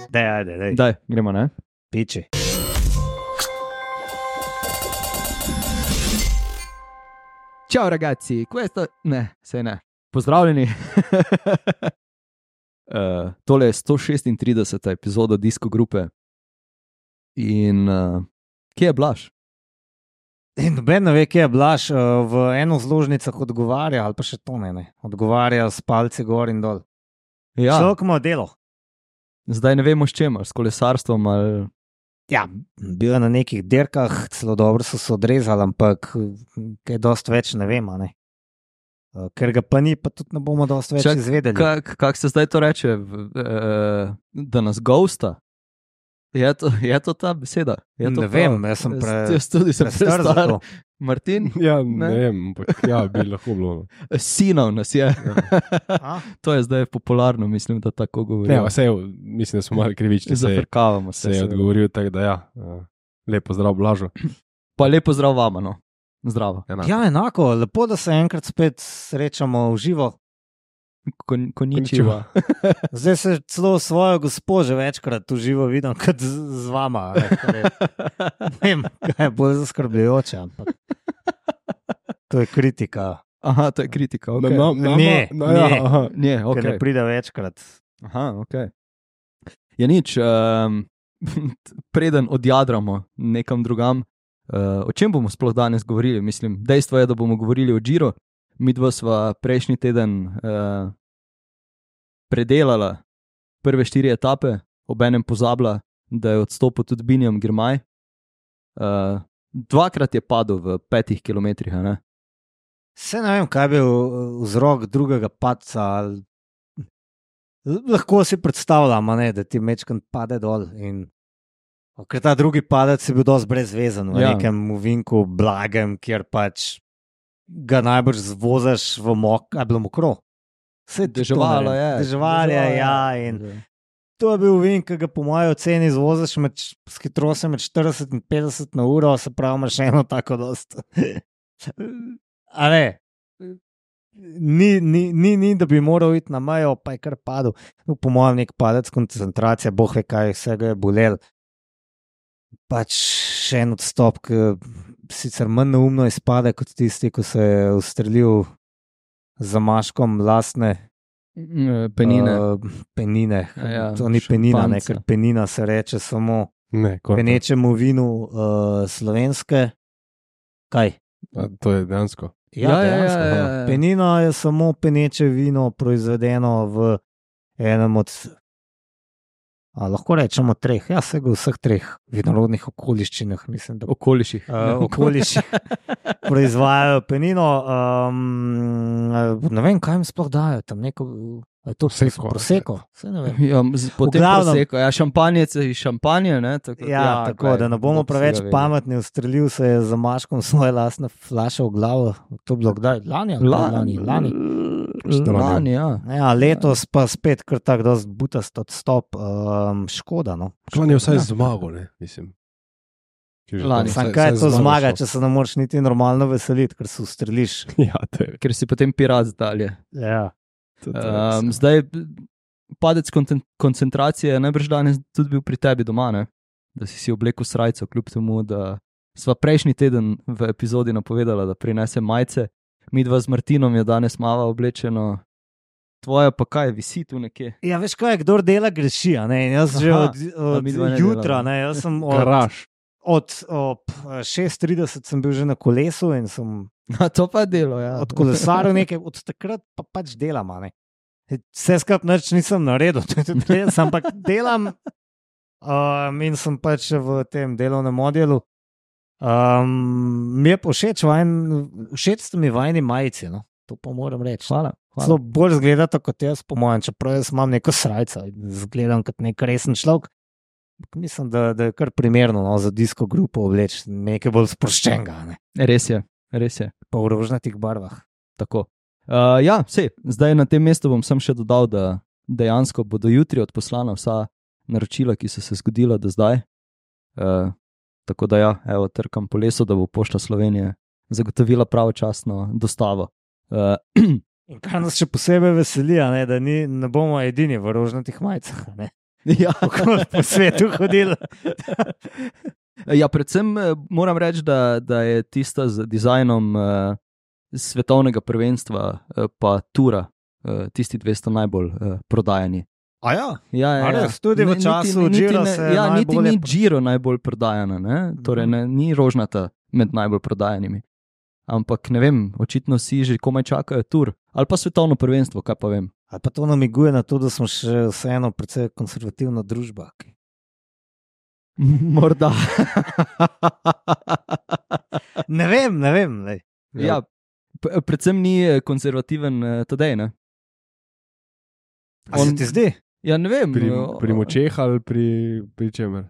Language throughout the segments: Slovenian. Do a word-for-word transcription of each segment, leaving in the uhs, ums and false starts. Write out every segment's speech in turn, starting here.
Daj, ajde, daj. Daj, gremo, ne? Piči. Ciao ragazzi, questo... Ne, sej ne. Pozdravljeni. uh, tole je sto šestintrideseta epizoda Disko grupe. In uh, kje je Blaž? In noben ne ve, kje je Blaž, v eno zložnicah odgovarja, ali pa še to ne, ne. Odgovarja s palci gor in dol. Ja, Človek ima delo. zdaj ne vemo s čem, ali s kolesarstvom ali... Ja, bil je na nekih dirkah, celo dobro so se odrezali, ampak kaj dosti več ne vemo, ne. Ker ga pa ni, pa tudi ne bomo dosti več Čak, izvedeli. Kako kak se zdaj to reče? V, uh, da nas ghosta? Je to, je to ta beseda? Je to Ne vem, jaz sem pre- Jaz tudi sem prestar za prestar. to. Martin? Ja, Ne? ne, ne vem, ampak ja, bi lahko bilo. Sinov nas je. A? To je zdaj popularno, mislim, da tako Ne, govorijo. vse, mislim, da smo malo krivični, se, je- Zafrkavamo se. se je seveda. odgovoril tako, da ja, uh, lepo zdrav Blažo. Pa lepo zdrav vama, no. Zdravo. Enako. Ja, enako, lepo, da se enkrat spet srečamo v živo. Kon, koničiva. Zdaj se celo svojo gospo že večkrat v živo vidim, kot z, z vama. Ne, kar je, ne vem, kaj je bolj zaskrbljujoče, ampak to je kritika, Aha, to je kritika. Na, Okay. na, na, Ne, na, ja, ne. aha. Ne, okay. Ker ne okay. pride večkrat. Aha, ok. Je nič, um, preden odjadramo nekam drugam, uh, o čem bomo sploh danes govorili? Mislim, dejstvo je, da bomo govorili o Giro. Mi dva sva prejšnji teden uh, predelala prve štiri etape, obenem pozabila, da je odstopil tudi Binjam Girmay. Uh, dvakrat je padel v petih kilometrih, a ne? Se ne vem, kaj je bil vzrok drugega padca. Ali... Lahko si predstavljam, a ne, da ti mečkan pade dol. In... Ker ta drugi padec je bil dosti brezvezen v Ja. ja. nekem uvinku blagem, kjer pač ga najbrž zvozaš v mok, a je bilo mokro. Saj tudi to ne Deževalo vem. je. Deževalo je, ja. In to je bil uvink, ki ga po moji oceni zvozaš med, s hitrostjo med štirideset in petdeset na uro, se pravi, imaš eno tako dost. A ne, ni, ni, ni, ni, da bi moral iti na mejo, pa je kar padel. No, po mojem, nek padec koncentracije, boh ve, kaj vsega je bolel. Pač še en odstop, ki sicer manj neumno izpade kot tisti, ko se je ustrelil za maškom lastne Penine. uh, penine. Ja, ja, To ni penina, ne, šampanjca. ker penina se reče samo Ne, ko, penečemu vinu uh, slovenske. Kaj? a, to je dejansko. Ja, ja, ja, dejansko. ja, ja, ja. Penina je samo peneče vino, proizvedeno v enem od, a, lahko rečemo, treh, ja, vsega v vseh treh vinorodnih okoliščinah, mislim, da Okoliših. uh, okoliščih proizvajajo penino. Um, ne vem, kaj jim sploh dajo tam, neko, a je to Prosecco. proseko, se ne vem. Ja, z- potem glavnem- proseko. Ja, šampanjec je iz šampanje, ne? Tako, Ja, ja, tako da ne bomo preveč pametni. pametni, ustrelil se je za maškom svoje lastne flaše v glavo. To je bilo kdaj? Lani? ali Lani, lani. Lani, ja. Ja, letos pa spet kar tak dost butast odstop, um, škoda. No. Klan je vsaj Ja. zmagal, ne, mislim. Če že Lani. to- Sam vsaj- kaj je vsaj to zmagal zmaga, šel. če se ne moreš niti normalno veseliti, ker se ustreliš. Ja, to je. Ker si potem pirat dalje. Ja. To, to je Um, res. zdaj, padec konten- koncentracije je najbrž danes tudi bil pri tebi doma, ne? Da si si oblekel srajco, kljub temu, da sva prejšnji teden v epizodi napovedala, da prinese majice. Mi dva z Martinom je danes mava oblečeno, tvoja pa kaj, visi tu nekje. Ja, veš kaj, kdor dela greši, a ne, in jaz že Aha, od, a od midva ne jutra, delava. ne, jaz sem od, Garaž. od ob šest trideset sem bil že na kolesu in sem A to pa je delo, ja. od kolesarjev nekaj, od takrat pa pač delam, a ne. Vse skupaj nič nisem naredil, to je tudi res, ampak delam um, in sem pač v tem delovnem modelu. Um, mi je pa všeč, vajen, všeč ste mi vajni majici, no. To pa moram reči. Hvala. Zelo hvala. bolj zgledate kot jaz, po mojem, čeprav jaz imam neko srajco in zgledam kot nek resen človek. Ampak mislim, da, da je kar primerno, no, za disko grupo obleči nekaj bolj sproščenega, ne, Res je, res je. pa v rožnatih barvah. Tako. Uh, ja, sej, zdaj na tem mestu bom sem še dodal, da dejansko bodo jutri odposlana vsa naročila, ki so se zgodila do zdaj. Uh, tako da ja, evo, trkam po lesu, da bo Pošta Slovenije zagotovila pravočasno dostavo. Uh, In kar nas še posebej veseli, a ne, da ni, ne bomo edini v rožnatih majicah, a ne. Ja. Kako po svetu hodili. Ja, predvsem eh, moram reči, da, da je tista z dizajnom uh, svetovnega prvenstva uh, pa tura, uh, tisti dve sta najbolj uh, prodajani. A ja, Ja, ja, A ja. res, tudi v Ne- času niti, Giro ne, se ja, niti najbolje ni pro- Giro najbolj prodajana, ne? Torej ne, ni rožnata med najbolj prodajanimi. Ampak ne vem, očitno si že komaj čakajo tur. Ali pa svetovno prvenstvo, kaj pa vem. ali pa to namiguje na to, da smo še vseeno precej konservativna družba. Morda. Ne vem, ne vem. Lej. Ja, p- predvsem ni eh, konzervativen uh, Tadej, ne? A se ti zdi? Ja, ne vem. Pri, eh, pri močeh ali pri, pri čemer?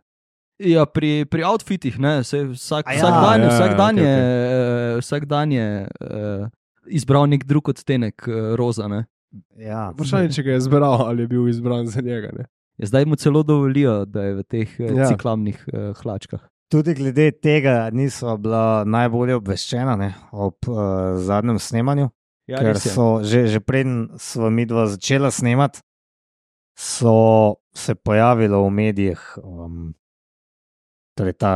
Ja, pri, pri outfitih, ne, se vsak, A ja, vsak dan, ja, vsak ja, dan okej, je, uh, vsak dan je uh, izbral nek drug odtenek uh, roza. Ne. Ja. Vprašanje, če ga je izbral ali je bil izbran za njega. Ne? Ja, zdaj mu celo dovolijo, da je v teh uh, Ja. ciklamnih uh, hlačkah. Tudi glede tega niso bila najbolje obveščena ne, ob uh, zadnjem snemanju, Ja, ker res je. so že, že preden smo mi dva začela snemati, so se pojavilo v medijih um, torej ta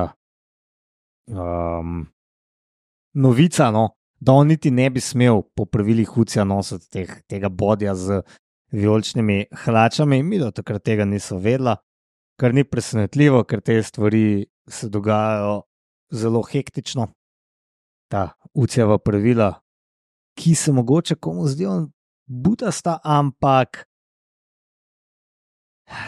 um, novica, no, da on niti ne bi smel po pravilih Hucija nositi teh, tega bodja z vijoličnimi hlačami. Mi do takrat tega niso vedela, kar ni presenetljivo, ker te stvari se dogajajo zelo hektično. Ta Hucijeva pravila, ki se mogoče komu zdijo butasta, ampak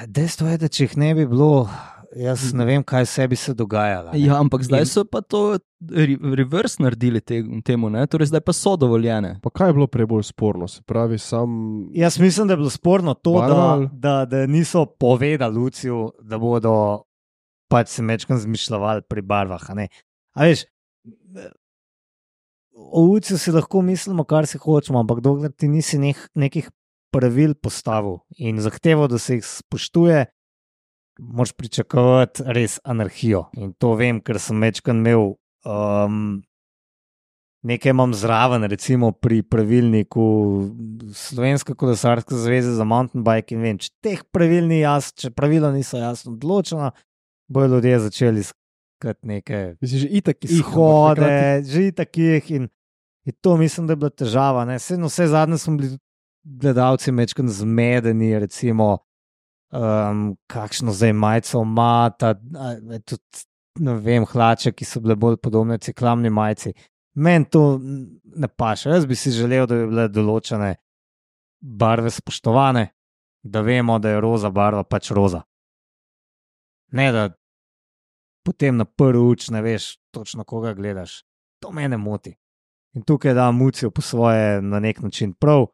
dejstvo je, da če jih ne bi bilo, jaz ne vem, kaj se bi se dogajalo. ne. Ja, ampak zdaj In- so pa to re, reverse naredili te, temu, ne? Torej zdaj pa so dovoljene. Pa kaj je bilo prej bolj sporno? Se pravi, sam. Jaz mislim, da je bilo sporno to, Barva da, ali- da, da niso povedali Luciju, da bodo pač se mečkam zmišljali pri barvah. A ne. A veš, o Luciju si lahko mislimo, kar si hočemo, ampak dokler ti nisi nek, nekih pravil postavil in zahteval, da se jih spoštuje, moraš pričakovati res anarhijo. In to vem, ker sem mečkam imel. Um, Nekaj imam zraven, recimo pri pravilniku Slovenske kolesarske zveze za mountain bike in vem, če teh pravil ni jasno, če pravila niso jasno določena, bojo ljudje začeli iskati neke Mislim, že itak izhode, že takih in, in to mislim, da je bila težava. Ne? Vse, no, vse zadnje smo bili gledalci mečkan zmedeni, recimo, um, kakšno zdaj majico ima, ta, a, tudi, ne vem, hlače, ki so bile bolj podobne ciklamni majici. Meni to ne paše. Jaz bi si želel, da bi bile določene barve spoštovane, da vemo, da je roza barva pač roza. Ne, da potem na prvi uč ne veš točno, koga gledaš. To mene moti. In tukaj da Mucijo po svoje na nek način prav.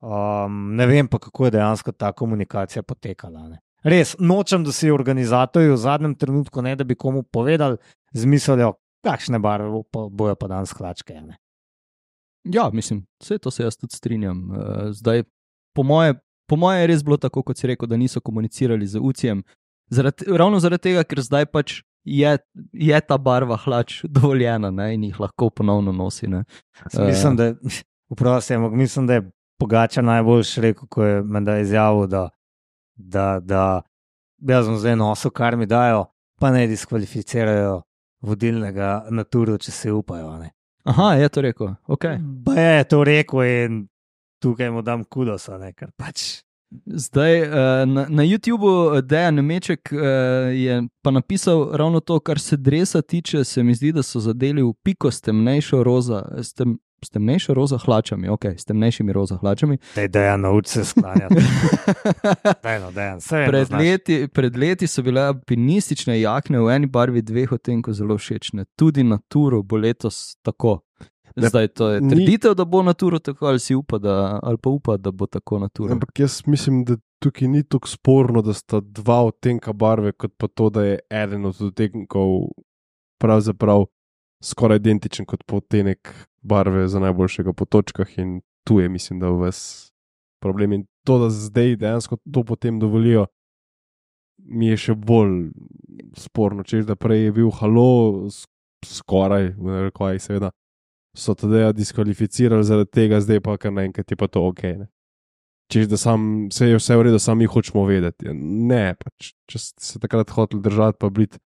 Um, ne vem pa, kako je dejansko ta komunikacija potekala. Ne. Res, nočem, da si organizatorji v zadnjem trenutku, ne da bi komu povedali, zmislijo, kakšne barve bo pa, bojo pa danes hlačke. Ne. Ja, mislim, vse to se jaz tudi strinjam. Uh, zdaj, po moje, po moje je res bilo tako, kot si rekel, da niso komunicirali z Ucijem. Zaradi, ravno zaradi tega, ker zdaj pač je, je ta barva hlač dovoljena, ne, in jih lahko ponovno nosi. Ne. Mislim, da, vprosti, ampak mislim, da je Pogačar najboljši rekel, ko je menda izjavil, da, da, da jaz sem zdaj nosil, kar mi dajo, pa ne diskvalificirajo vodilnega na turu, če se upajo. Ne. Aha, je to rekel. Okay. Pa je to rekel in tukaj mu dam kudosa, ne, ker pač. Zdaj, uh, na, na YouTubu Dejan Nemeček uh, je pa napisal ravno to, kar se dresa tiče, se mi zdi, da so zadeli v piko s temnejšo roza, s, tem, s temnejšo roza hlačami, ok, s temnejšimi roza hlačami. Dej, Dejan, nauči se sklanjati. Dej, no, Dejan, vse vem, da Pred znaš. leti, pred leti so bile alpinistične jakne v eni barvi dveh odtenkov zelo všečne. Tudi na turu bo letos tako. Zdaj to je ni- trditev, da bo na turu tako, ali si upa, da, ali pa upa, da bo tako na turu. Ampak jaz mislim, da tukaj ni tako sporno, da sta dva odtenka barve, kot pa to, da je eden od odtenkov pravzaprav skoraj identičen kot odtenek barve za najboljšega po točkah, in tu je, mislim, da ves problem. In to, da zdaj dejansko to potem dovolijo, mi je še bolj sporno. Češ, da prej je bil halo, s- skoraj, v narekovajih seveda, so Tadeja diskvalificirali zaradi tega, zdaj pa kar naenkrat je pa to ok. Ne? Češ, da sam, vse je vse v redu, samo mi hočemo vedeti. Ne, pač, če ste se takrat hoteli držati, pa biti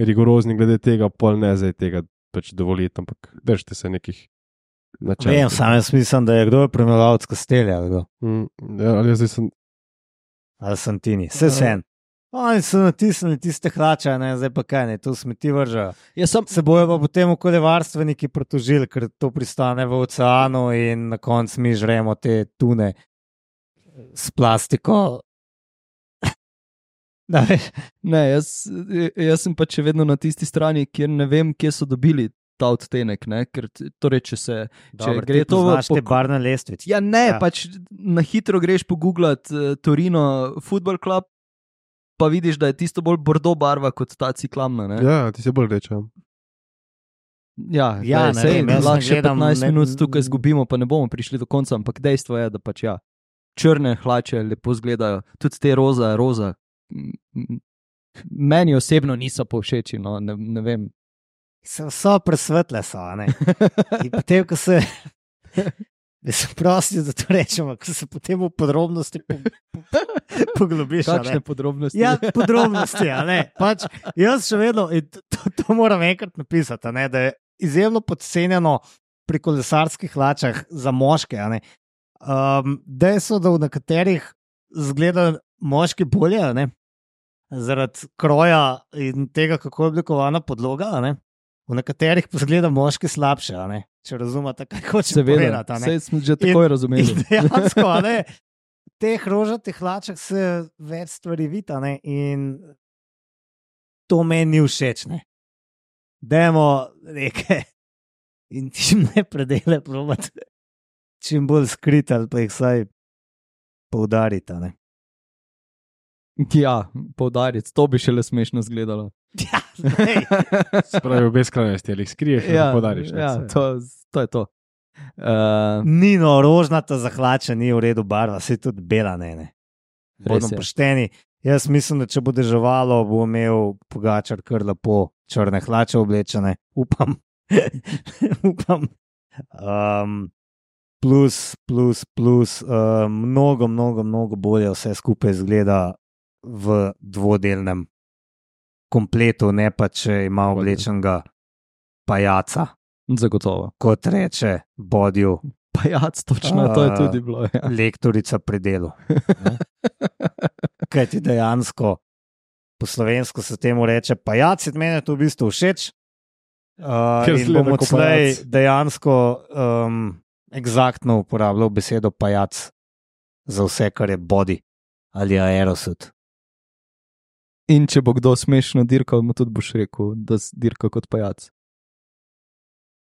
rigorozni glede tega, pol ne zdaj tega pač dovoliti, ampak držite se nekih načel. Vem, sam jaz mislim, da je kdo je primerjalec Kastelja, ali kdo? Mm, ja, ali jaz zdaj sem... Ali Santini, vse sen. Oni so natisnili tiste hlače, ne, zdaj pa kaj, ne, to smeti vržajo. Sem... Se bojo pa potem okoljevarstveniki protožili, ker to pristane v oceanu in na koncu mi žremo te tune s plastiko. ne, jaz, jaz sem pa še vedno na tisti strani, kjer ne vem, kje so dobili ta odtenek, ne, ker torej, če se Dobar, če gre to v po... te barne lestvice. Ja, ne, ja. Pač na hitro greš pogooglati uh, Torino Football Club, pa vidiš, da je tisto bolj bordo barva kot ta ciklamna. Ne? Ja, ti se bolj reče. Ja, ja daj, ne sej, vem, jaz lahko še gledam, petnajst ne... minut tukaj zgubimo, pa ne bomo prišli do konca, ampak dejstvo je, da pač ja, črne hlače lepo izgledajo, tudi te roza, roza. Meni osebno niso povšeči, no, ne, ne vem. So, so presvetle, so, ne. In potem, ko se... Mislim, prosti, da to rečemo, ko se potem v podrobnosti po, po, poglobiš. Kakšne podrobnosti? Ja, podrobnosti, a ne. Pač, jaz še vedno, to, to moram enkrat napisati, ne, da je izjemno podcenjeno pri kolesarskih hlačah za moške. A ne. Um, dejstvo, da v nekaterih zgleda moški bolje, a ne, zaradi kroja in tega, kako je oblikovana podloga, a ne. V nekaterih pa zgleda moški slabše, a ne. Če razumete, kaj hoče povedati. Seveda, smo že takoj razumeli. In dejansko, ne, v teh rožatih hlačah se več stvari vidi, ne, in to meni ni všeč, ne. Dajmo neke intimne predele probati čim bolj skriti ali pa jih vsaj poudariti, ne. Ja, poudariti, to bi šele smešno izgledalo. Ja, spravi v beskrajnosti, ali jih skriješ, ali ja, podariš. Ja, to, to je to. Uh, ni no, rožnata zahlača, ni v redu barva, se tudi bela, ne, ne. Bodimo pošteni. Jaz mislim, da če bo deževalo, bo imel Pogačar kar lepo črne hlače oblečene. Upam. Upam. Um, plus, plus, plus, uh, mnogo, mnogo, mnogo bolje vse skupaj izgleda v dvodelnem kompletu, ne pa če ima oblečenega pajaca. Zagotovo. Kot reče Bodju. Pajac, točno, uh, to je tudi bilo. Ja. Lektorica pri delu. Kaj ti dejansko, po slovensko se temu reče pajac, in meni je to v bistvu všeč. Uh, in bom odslej dejansko um, eksaktno uporabljal besedo pajac za vse, kar je body ali aerosud. In če bo kdo smešno dirkal, mu tudi boš rekel, da dirka kot pajac.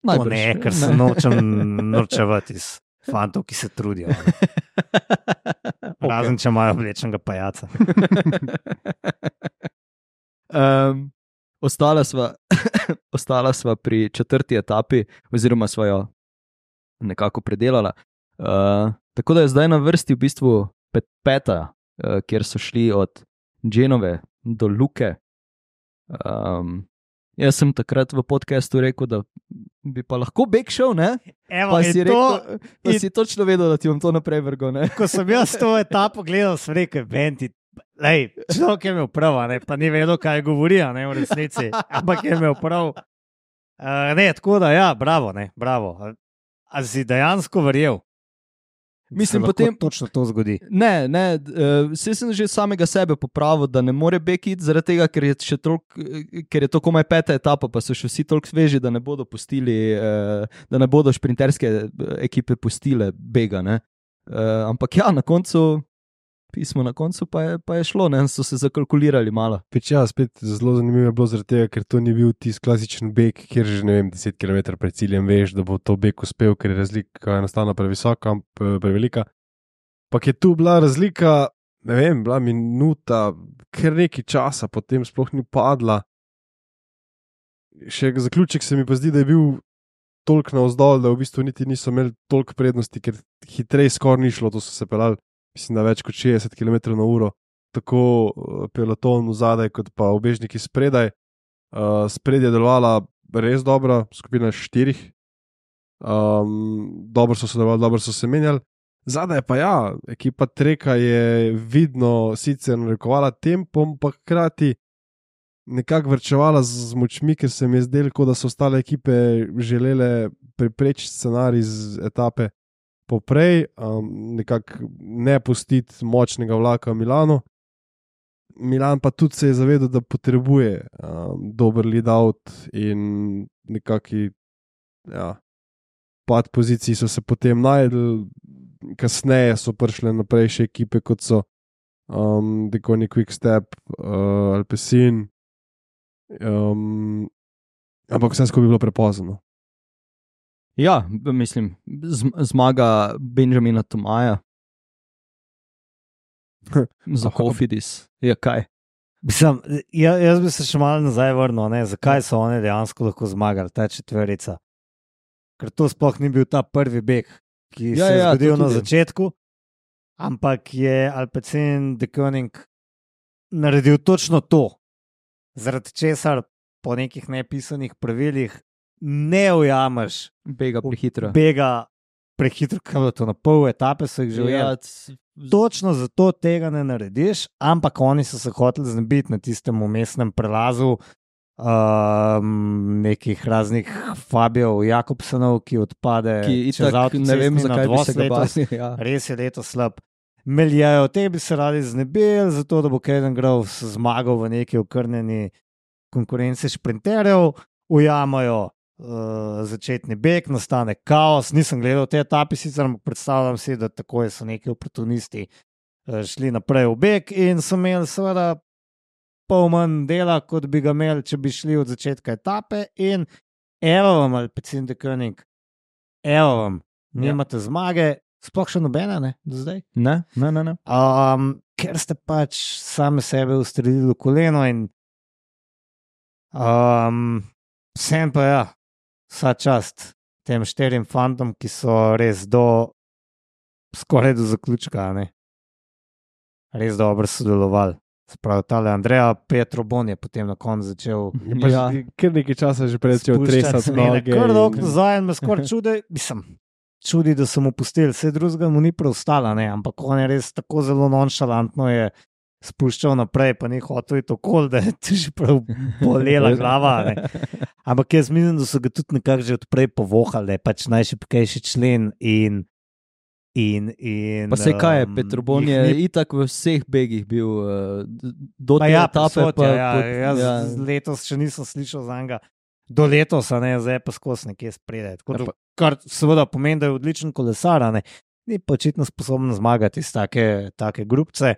To ne, ker se nočem norčevati iz fantov, ki se trudijo. Razen, okay. Če imajo oblečenega pajaca. um, ostala, sva, ostala sva pri četrti etapi, oziroma sva jo nekako predelala. Uh, tako da je zdaj na vrsti v bistvu pet, peta, uh, kjer so šli od Genove do Luke. Um, jaz sem takrat v podcastu rekel, da bi pa lahko beg šel, ne? Evo, pa si, to, rekel, pa in... si točno vedel, da ti bom to naprej vrgal, ne? Ko sem jaz to etapo gledal, sem rekel, Benti, lej, človek je imel prav, ne? Pa ni vedel, kaj govori, ne, v resnici, ampak je imel prav. Uh, ne, tako da, ja, bravo, ne, bravo. A si dejansko verjel? Mislim, potem točno to zgodi. Ne, ne, uh, vse sem že samega sebe popravil, da ne more bekiti, zaradi tega, ker je, še tolk, ker je to komaj peta etapa, pa so še vsi toliko sveži, da ne bodo pustili, uh, da ne bodo šprinterske ekipe pustile bega, ne. Uh, ampak ja, na koncu, pismo na koncu pa je, pa je šlo, ne, so se zakalkulirali malo. Peč ja, spet zelo zanimivo je bilo zaradi tega, ker to ni bil tisti klasičen beg, kjer že, ne vem, deset kilometrov pred ciljem veš, da bo to beg uspel, ker je razlika enostavno previsoka, prevelika. Pa je tu bila razlika, ne vem, bila minuta, ker neki časa potem sploh ni padla. Še zaključek se mi pa zdi, da je bil toliko navzdol, da v bistvu niti niso imeli toliko prednosti, ker hitreje skoraj ni šlo, to so se pelali. Mislim, da več kot šestdeset kilometrov na uro, tako peloton vzadaj, kot pa ubežniki spredaj. Uh, spredje je delovala res dobro, skupina štirih, um, dobro so sodelovali, dobro so se menjali. Zadaj pa ja, ekipa Treka je vidno sicer narekovala tempom, pa hkrati nekako vrčevala z močmi, ker se mi je zdelo, kot da so ostale ekipe želele preprečiti scenarij z etape poprej, um, nekako ne pustiti močnega vlaka v Milanu. Milan pa tudi se je zavedal, da potrebuje um, dober lead-out in nekaki ja, pad poziciji so se potem najdel, kasneje so prišle naprej še ekipe, kot so um, Deconi Quickstep, uh, Alpecin, um, ampak vse skupaj bi bilo prepozno. Ja, mislim, zmaga Benjamina Tomaja. Za Kofidis je kaj? Mislim, jaz, jaz bi se še malo nazaj vrnil, ne? Zakaj so oni dejansko lahko zmagali, ta četverica. Ker to sploh ni bil ta prvi beg, ki ja, se je ja, zgodil na začetku, ampak je Alpecin de Koning naredil točno to, zaradi česar po nekih nepisanih pravilih ne ujameš bega prehitro. Bega prehitro, kam je to na pol etape so jih že ujeli. Točno zato tega ne narediš, ampak oni so se hoteli znebiti na tistem umestnem prelazu um, nekih raznih Fabijov, Jakobsenov, ki odpade ki čez avto, ne vem, zakaj bi se ga bali. Ja. Res je leto slab. Meljajo, te bi se radi znebili, zato da bo Caden Groves zmagal v neki okrnjeni konkurenci šprinterjev, ujamajo Uh, začetni beg, nastane kaos. Nisem gledal te etape, sicer ampak predstavljam si, da tako so neki oportunisti uh, šli naprej v beg in so imeli seveda pol manj dela, kot bi ga imeli, če bi šli od začetka etape. In evo vam, Alpecin de Koning, evo vam, nimate ja. Zmage, sploh še nobene, ne, do zdaj? Ne, ne, ne. ne. Um, ker ste pač same sebe ustrelili v koleno in um, vsem pa ja. Vsa čast tem štirim fantom, ki so res do skoraj do zaključka, ne? Res dobro sodelovali. Sprav tale Andreja Petrobon je potem na koncu začel ja, kar nekaj časa že pred začel tresati noge. Kar dolgo nazaj me skoraj čudi, mislim, čudi, da so mu pustili, vse drugega mu ni preostala, ne? Ampak on je res tako zelo nonšalantno je spuščal naprej, pa ni hotel iti okoli, da je ti že prav bolela glava. Ne? Ampak jaz mislim, da so ga tudi nekako že odprej povohali, da je pač najšibkejši člen in in... in pa se kaj je, Petrobon je ni... itak v vseh begih bil uh, do te ja, etape. Posod, pa, ja, pod, jaz ja. letos še nisem slišal za njega. Do letosa, ne, zdaj pa skozi nekje spredaj. Ja, pa... Kar seveda pomeni, da je odličen kolesar, ne? Ni pa očitno sposoben zmagati iz take, take grupce.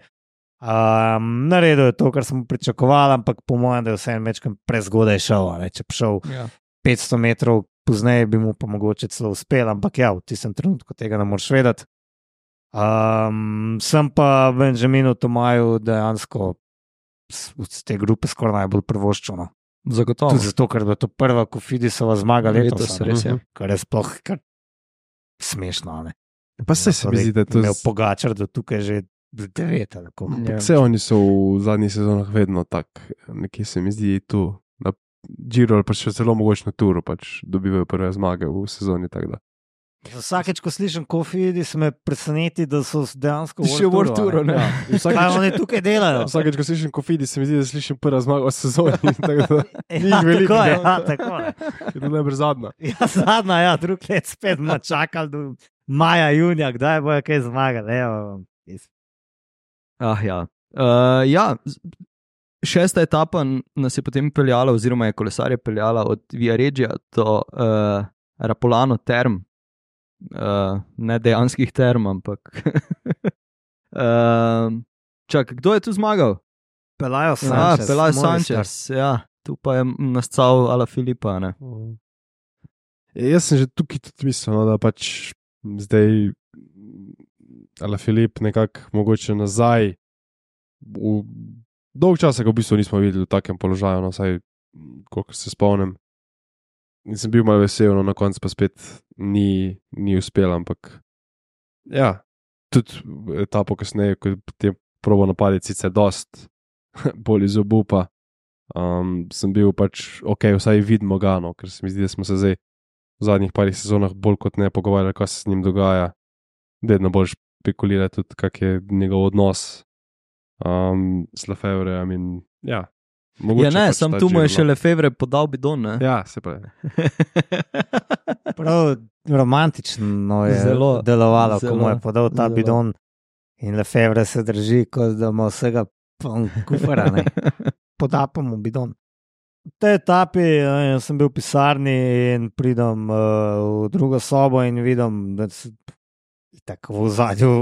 Um, naredil je to, kar smo pričakovali, ampak po mojem, da je vse en mečkam prezgodaj šel. Ne? Če bi šel ja. petsto metrov pozneje, bi mu pa mogoče celo uspel, ampak ja, v tistem trenutku tega ne moreš vedeti. Um, sem pa Benjaminu Tomaju dejansko z te grupe skoraj najbolj privoščil. Zagotovo. Tudi zato, ker je to prva Kofidisova zmaga letos. letos res je. Kar je sploh kar smešno. Ne? Pa se se mi zdi, da je to... Imel Pogačar, da tukaj že devet. Ja. Vse oni so v zadnjih sezonah vedno tak, nekje se mi zdi tu na Giro ali pa še celo mogoče na Turu pač dobivajo prve zmage v sezoni, tako da. Vsakeč, ko slišim Kofidis, me preseneti, da so dejansko še v World Touru. Ja. Kaj oni tukaj delajo? Vsakeč, ko slišim Kofidis, se mi zdi, da slišim prva zmaga v sezoni. Tako da ni ja, veliko. Tako je, ja, tako je. Je to najbrž zadnja. Ja, zadnja, ja, drug let spet bomo čakali do maja, junija, kdaj bojo kaj zmagali. Ah, ja. Uh, ja, šesta etapa nas je potem peljala, oziroma je kolesarje peljala od Via Regia do uh, Rapolano term, uh, ne dejanskih term, ampak. uh, čak, kdo je tu zmagal? Pelajo Sanchez. Ja, Pelajo Sanchez, ja. Tu pa je nastal Ala Filipa, ne. Uh. Jaz sem že tukaj tudi mislil, no, da pač zdaj Ala Filip nekako mogoče nazaj. V dolg časa ga v bistvu nismo videli v takem položaju, no, vsaj koliko se spomnim. In sem bil malo vesel, no, na koncu pa spet ni, ni uspel, ampak ja, tudi etapo kasneje, ko je probo napaditi sicer dost bolj iz obupa, um, sem bil pač ok, vsaj vidimo ga, no, ker se mi zdi, da smo se zdaj v zadnjih parih sezonah bolj kot ne pogovarjali, kaj se z njim dogaja. Vedno bolj špekulira tudi, kak je njegov odnos um, s Lefebvrejem in ja. Ja, ne, pač sam tu mu je še Lefebvre podal bidon, ne? Ja, se pravi. Prav romantično je zelo, delovalo, zelo, ko mu je podal ta zelo. Bidon in Lefebvre se drži, kot da ima vsega kufara, ne. Poda pa mu bidon. V tej etapi ja, sem bil v pisarni in pridem uh, v drugo sobo in vidim, da se tako v zadju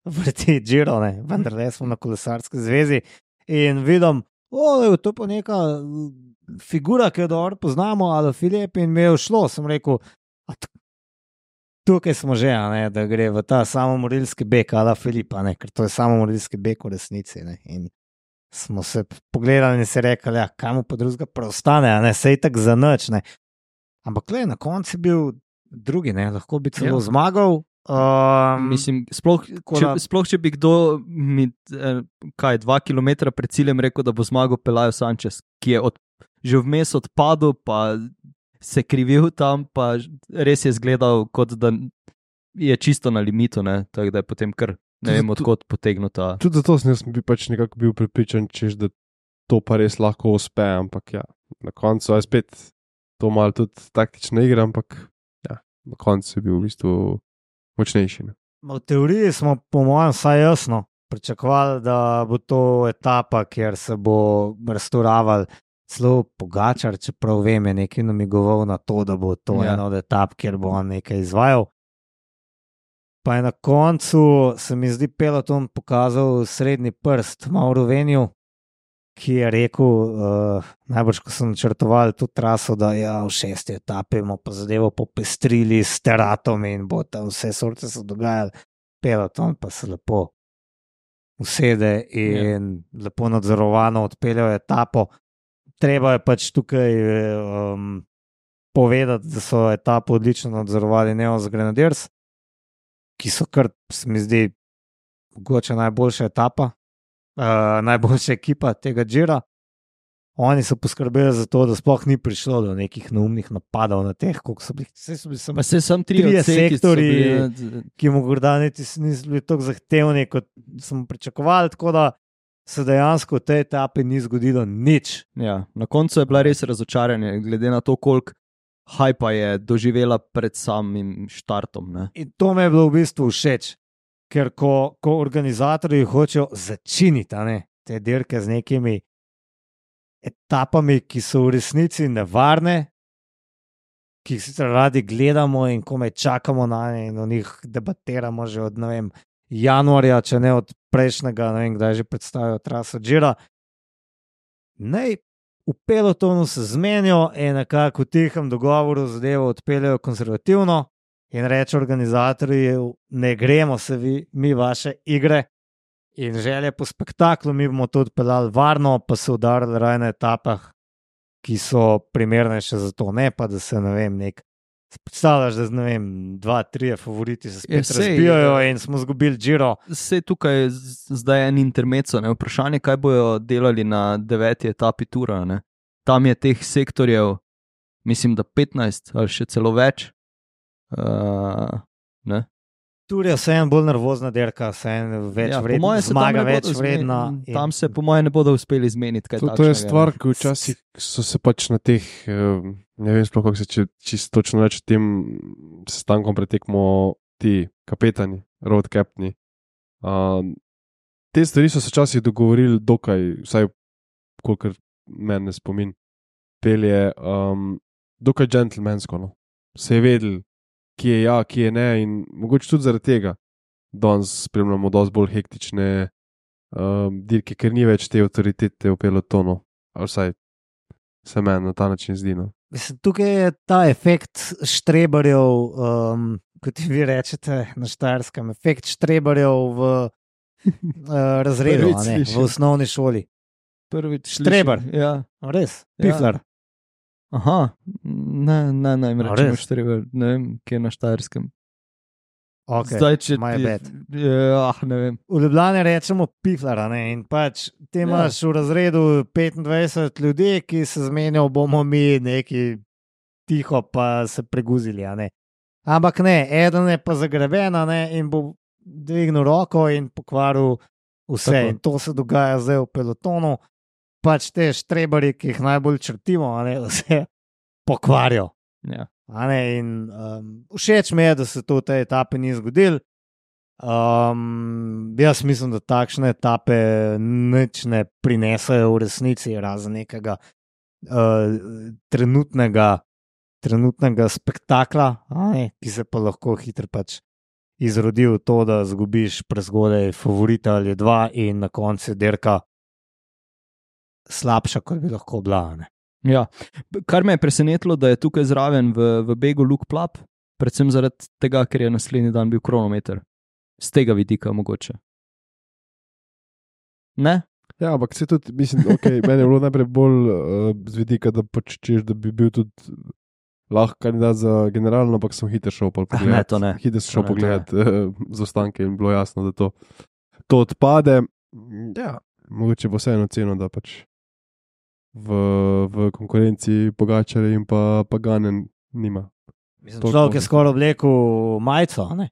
vrti Giro, ne, vendar le smo na kolesarski zvezi in vidim, o, je to pa neka figura, ki jo dobro poznamo, ali Filip in mi je všlo, sem rekel, a tukaj smo že, ne, da gre v ta samomorilski beg, ali Filipa, ne, ker to je samomorilski beg v resnici, ne, in smo se pogledali in se rekli, ja, kaj mu pa drugega preostane, a ne, sej tak za nič, ne, ampak le, na koncu je bil drugi, ne, lahko bi celo ja. zmagal. Um, Mislim, sploh če, sploh, če bi kdo mi, eh, kaj, dva kilometra pred ciljem rekel, da bo zmagal Pelayo Sanchez, ki je od, že vmes odpadel, pa se krivil tam, pa res je izgledal, kot da je čisto na limitu, ne, tako da je potem kar ne vem, odkot potegnuta. Tudi zato sem bi pač nekako bil pripričan, češ, da to pa res lahko uspe, ampak ja, na koncu je spet to malo tudi taktična igra, ampak ja, na koncu je bil v bistvu močnejši. Ne? V teoriji smo, po mojem, vsaj jasno pričakovali, da bo to etapa, kjer se bo restauraval celo Pogačar, čeprav vem, je nekaj namigoval na to, da bo to ja. ena od etap, kjer bo on nekaj izvajal. Pa je na koncu, se mi zdi, peloton pokazal srednji prst Mauro Veniju, ki je rekel, uh, najbolj, ko sem načrtoval to traso, da ja, v šesti etapi bomo pa zadevo popestrili s teratom in bo tam vse sorte se dogajali. Peloton pa se lepo usede in ja. lepo nadzorovano odpeljajo etapo. Treba je pač tukaj um, povedati, da so etapo odlično nadzorovali Neos Grenadiers, ki so kar, se mi zdi, mogoče najboljša etapa. Uh, najboljša ekipa tega Gira. Oni so poskrbeli za to, da sploh ni prišlo do nekih neumnih napadov na teh, koliko so bili. Vse so bili samo trije sektori, bili, ki morda niti niso bili tako zahtevni, kot smo pričakovali, tako da se dejansko v tej etapi ni zgodilo nič. Ja, na koncu je bila res razočaranje, glede na to, koliko hajpa je doživela pred samim štartom. Ne? In to me je bilo v bistvu všeč. Ker ko, ko organizatorji hočejo začiniti ne, te dirke z nekimi etapami, ki so v resnici nevarne, ki jih sicer radi gledamo in komaj čakamo na ne in o njih debatiramo že od ne vem, januarja, če ne od prejšnjega, ne vem, kdaj že predstavijo traso Gira. Naj v pelotonu se zmenijo in nekako v tihem dogovoru zadevo odpeljajo konzervativno. In reče organizatorji, ne gremo se vi, mi vaše igre in želje po spektaklu, mi bomo to odpeljali varno, pa se udarili raj na etapah, ki so primernejše za to, ne pa da se, ne vem, nek, predstavljaš, da ne vem, dva, trije favoriti se spet je, sej, razbijajo je, in smo zgubili Giro. Sej tukaj je zdaj en intermezzo, ne, vprašanje, kaj bojo delali na deveti etapi tura, ne. Tam je teh sektorjev, mislim, da petnajst ali še celo več. Uh, Tur je vse en bolj nervozna dirka, vse en več ja, vredna, zmaga več vredna. In... Tam se po moje ne bodo uspeli izmeniti. To, to je stvar, ki včasih so se pač na teh, ne vem sploh, kako se če, čisto točno reči, tem sestankom pretekmo ti kapetani, road captaini. Uh, te stvari so se včasih dogovorili dokaj, vsaj kolikor mene spomin, pelje, um, dokaj džentlmensko, no. Se je vedel, ki je ja, ki je ne in mogoče tudi zaradi tega danes spremljamo dosti bolj hektične um, dirke, ker ni več te avtoritete v pelotonu, ali vsaj se meni na ta način zdi. No. Mislim, tukaj je ta efekt štrebarjev, um, kot vi rečete na Štajerskem, efekt štrebarjev v uh, razredu, a ne, v osnovni šoli. Prvič štrebar, ja. Res, piflar. Ja. Aha, ne, ne, ne, ne, rečemo štrebar, ne vem, kje je na Štajerskem. Ok, zdaj, če my ti, bad. Ah, ne vem. V Ljubljani rečemo piflar, ne, in pač ti imaš ja. v razredu petindvajset ljudi, ki se zmenijo, bomo mi neki tiho, pa se preguzili. A ne. Ampak ne, eden je pa zagreben in bo dvignil roko in pokvaril vse. Tako. In to se dogaja zdaj v pelotonu. Pač te štrebari, ki jih najbolj črtimo, a ne, vse pokvarijo. Ja. A ne, in um, všeč mi je, da se to v tej etapi ni zgodilo. Um, jaz mislim, da takšne etape nič ne prinesajo v resnici, razen nekega uh, trenutnega, trenutnega spektakla, a ne, ki se pa lahko hitro pač izrodi v to, da zgubiš prezgodaj favorita ali dva in na koncu je dirka slabša, kot bi lahko bila. Ne. Ja. Kar me je presenetilo, da je tukaj zraven v, v begu Luke Plap, predvsem zaradi tega, ker je naslednji dan bil kronometer. Z tega vidika mogoče. Ne? Ja, ampak se tudi, mislim, okay, meni je bilo najprej bolj uh, z vidika, da počeš, da bi bil tudi lahko kandidat za generalno, ampak sem hitro šel pogledat. Ne, to ne. Hitro sem šel To ne, pogledat uh, zaostanke in bilo jasno, da to, to odpade. Ja, mogoče bo vseeno ceno, da pač v, v konkurenci Pogačarja in pa Paganen nima. Mislim, Toliko človek je možnosti. skoraj oblekel majico, a ne?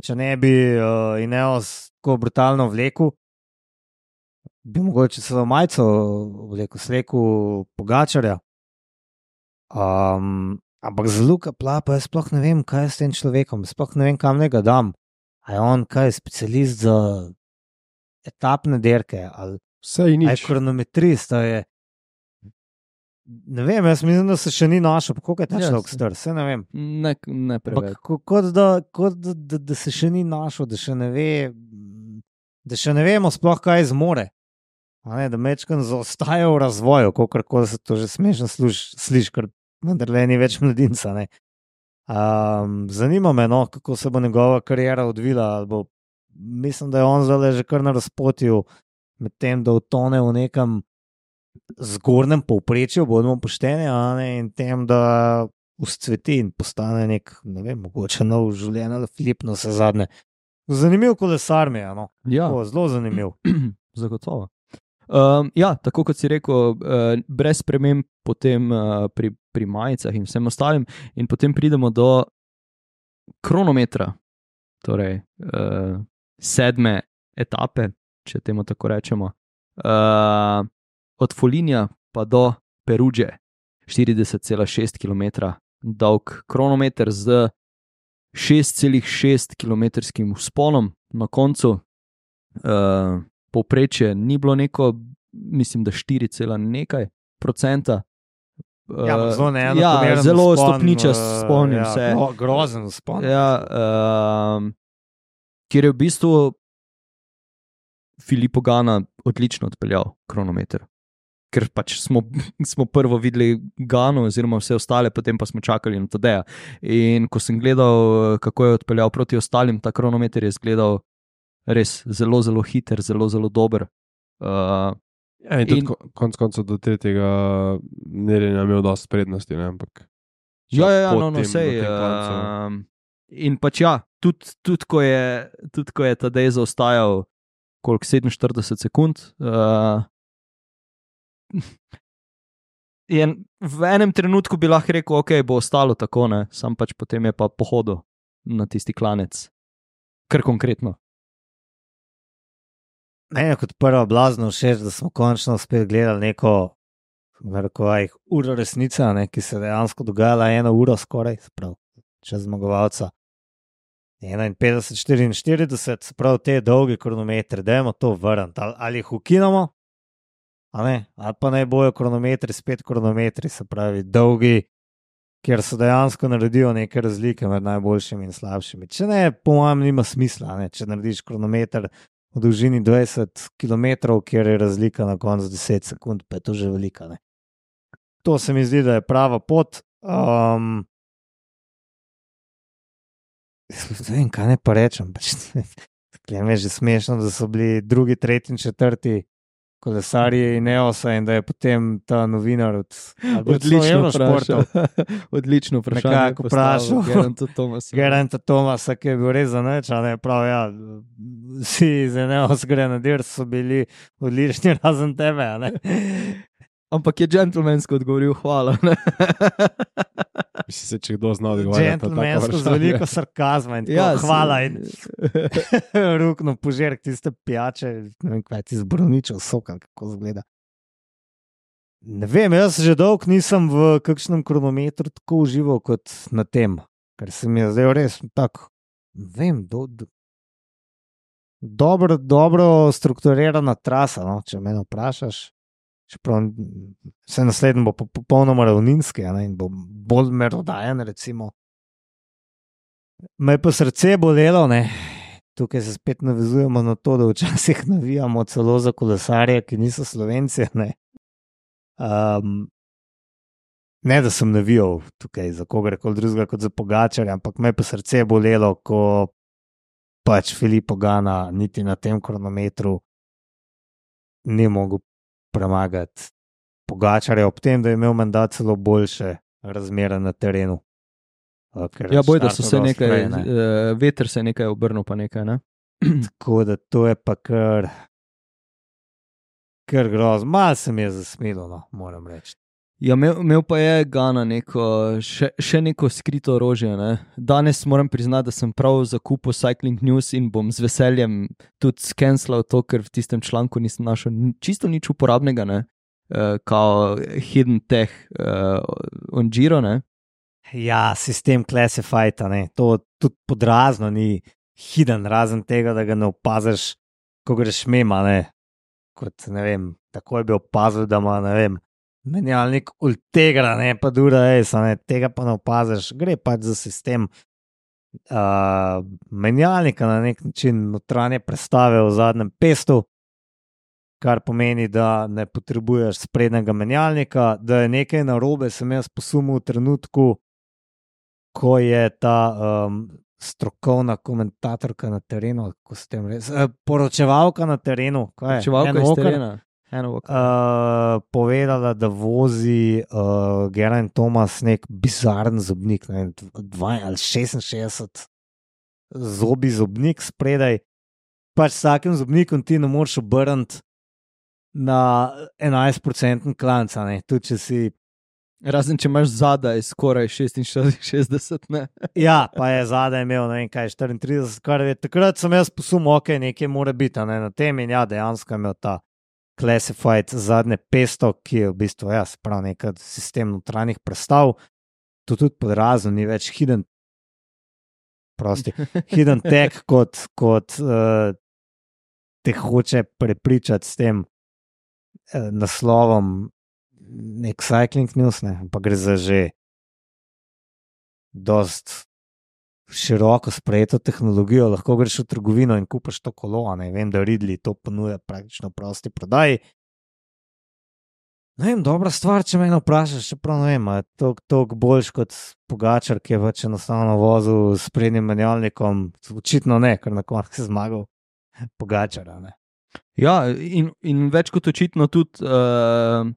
Če ne bi uh, Ineos tako brutalno vlekel, bi mogoče celo majico vlekel, slekel Pogačarja. Um, ampak za Luka Plapa jaz sploh ne vem, kaj je s tem človekom, sploh ne vem, kam ne ga dam. A je on kaj, specialist za etapne dirke, ali Vse in a je nič. kronometrist, a je... Ne vem, jaz mislim, da se še ni našel, koliko je ta Ja, človek se- star, se ne vem. Ne, ne preveč. Ampak ko- kot, da, kot da, da, da se še ni našel, da še ne ve, da še ne vemo sploh, kaj zmore. A ne, da mečkan zaostaja v razvoju, kako se to že smešno sliši, ker vendar ni več mladinca. Ne. Um, zanima me, no, kako se bo njegova kariera odvila. ali Bo, mislim, da je on zdaj že kar na razpotju, medtem da utone v nekem zgornjem povprečju, bodimo pošteni, a ne, in tem, da uscveti in postane nek, ne vem, mogoče nov življenje, ali Filip, no vse zadnje. Zanimiv kolesar mi je, no. Ja. O, zelo zanimiv. Zagotovo. Um, ja, tako kot si rekel, uh, brez sprememb potem uh, pri, pri majicah in vsem ostalim, in potem pridemo do kronometra, torej uh, sedme etape, če temu tako rečemo. Uh, od Foligna pa do Peruge, štirideset cela šest kilometra dolg kronometer z šest cela šest kilometrskim vzponom na koncu. Uh, povprečje ni bilo neko, mislim, da štiri cela nekaj procenta. Uh, Ja, zelo ja, neenakomeren zelo vzpon, stopničast eh, vzpon in ja, vse. gro, grozen vzpon. Ja, um, kjer je v bistvu Filippo Ganna odlično odpeljal kronometer. Ker pač smo, smo prvo videli Gano, oziroma vse ostale, potem pa smo čakali na Tadeja. In ko sem gledal, kako je odpeljal proti ostalim, ta kronometer je izgledal res zelo, zelo hiter, zelo, zelo dober. Uh, Ja, in tudi in- ko- konec koncev do tretjega merjenja imel dosti prednosti, ne, ampak Ja, ja, ja, po no, no, tem- sej. po tem klancu. Um, in pač ja, tudi tud, ko je, tud, ko je Tadej zaostajal, koliko sedeminštirideset sekund, uh, je v enem trenutku bi lahko rekel, ok, bo ostalo tako, ne, sam pač potem je pa pohodil na tisti klanec. Kar konkretno. Meni je kot prvo blazno všeč, da smo končno spet gledali neko, kako je, uro resnice, ne, ki se je dejansko dogajala eno uro skoraj, se pravi, čez zmagovalca. enainpetdeset štiriinštirideset, se pravi, te dolge kronometre, dajmo to vrniti, ali, ali jih ukinemo, a ne, ali pa naj bojo kronometri, spet kronometri, se pravi, dolgi, kjer se dejansko naredijo neke razlike med najboljšimi in slabšimi. Če ne, po mojem, nima smisla, ne, če narediš kronometer v dolžini dvajset kilometrov, kjer je razlika na koncu deset sekund, pa je to že velika. Ne. To se mi zdi, da je prava pot. Um, ne vem, kaj ne pa rečem. Pač, mi je že smešno, da so bili drugi, tretji in četrti kolesarji Ineosa in da je potem ta novinar od Odlično Eurošportov, vprašal. Odlično vprašanje. Nekako vprašal. Geranta Thomasa. Geranta Thomasa, ki je bil res za nič, a ne prav, ja, vsi iz Ineos gre na dir, so bili odlični razen tebe, a ne. Ampak je džentlmensko odgovoril, hvala. Ne? Mislim, se, če kdo zna odgovarjati. Gentlemansko z veliko sarkazma in tako, Ja, ja, si- hvala in rukno požirk tiste pijače, ne vem, kaj ti zbroničev soka, kako zgleda. Ne vem, jaz že dolgo nisem v kakšnem kronometru tako užival kot na tem, ker se mi je zdaj res tako, ne vem, do, do, dobro, dobro strukturirana trasa, no, če me vprašaš. Čeprav se naslednji bo po- popolnoma ravninski, a ne, in bo bolj merodajen, recimo. Me je pa srce bolelo, ne. Tukaj se spet navezujemo na to, da včasih navijamo celo za kolesarje, ki niso Slovenci, ne. Um, ne, da sem navijal tukaj za kogarkoli drugega kot za Pogačarja, ampak me je pa srce bolelo, ko pač Filippo Ganna niti na tem kronometru ni mogel premagati Pogačarja, ob tem, da je imel menda celo boljše razmere na terenu. Uh, ker Ja, boj, da štartal so se dosti nekaj, prej, ne. uh, veter se je nekaj obrnil, pa nekaj, ne? Tako da to je pa kar, kar grozno. Malo se mi je zasmilo, no, moram reči. Ja, imel, imel pa je Gana neko, še, še neko skrito orožje. Ne? Danes moram priznati, da sem prav zakupil Cycling News in bom z veseljem tudi skenslal to, ker v tistem članku nisem našel ni- čisto nič uporabnega, ne? Uh, kao hidden tech uh, on Giro, ne? Ja, sistem Classified, a ne, to tudi podrazno ni hiden, razen tega, da ga ne opaziš, ko greš mimo, ne. Kot, ne vem, takoj bi opazil, da ima, ne vem, menjalnik Ultegra, ne, pa Dura Ace, a ne, tega pa ne opaziš, gre pač za sistem uh, menjalnika na nek način notranje prestave v zadnjem pestu, kar pomeni, da ne potrebuješ sprednjega menjalnika, da je nekaj narobe, sem jaz posumil v trenutku, ko je ta um, strokovna komentatorka na terenu, kako se tem reče, eh, poročevalka na terenu, kaj je? Čevalka Ann iz Walker, terena. Eno oko. Uh, povedala, da vozi uh, Geraint Thomas nek bizaren zobnik, ne vem, dva ali šestinšestdeset zobi zobnik spredaj. Pač s takim zobnikom ti ne moreš obrniti na enajst procentni klanc, a ne, tudi če si. Razen če imaš zadaj skoraj šestinšestdeset, ne? Ja, pa je zadaj imel, ne vem kaj, štiriintrideset, kar je takrat sem jaz posumil, ok, nekaj mora biti, a ne, na tem in ja, dejansko je imel ta Classified zadnje pesto, ki je v bistvu, ja, se pravi, nek sistem notranjih prestav, to tudi podrazno ni več hidden, prosti, hidden tech, kot, kot uh, te hoče prepričati s tem uh, naslovom nek Cycling News, ne, pa gre za že dost široko sprejeto tehnologijo, lahko greš v trgovino in kupaš to kolo, a ne, vem, da Ridley to ponuja praktično v prosti prodaji. Ne vem, dobra stvar, če me vprašaš, čeprav ne vem, a je toliko boljš kot Pogačar, ki je pač enostavno vozil s prednjim menjalnikom, očitno ne, ker na koncu je zmagal Pogačara, ne. Ja, in, in več kot očitno tudi uh,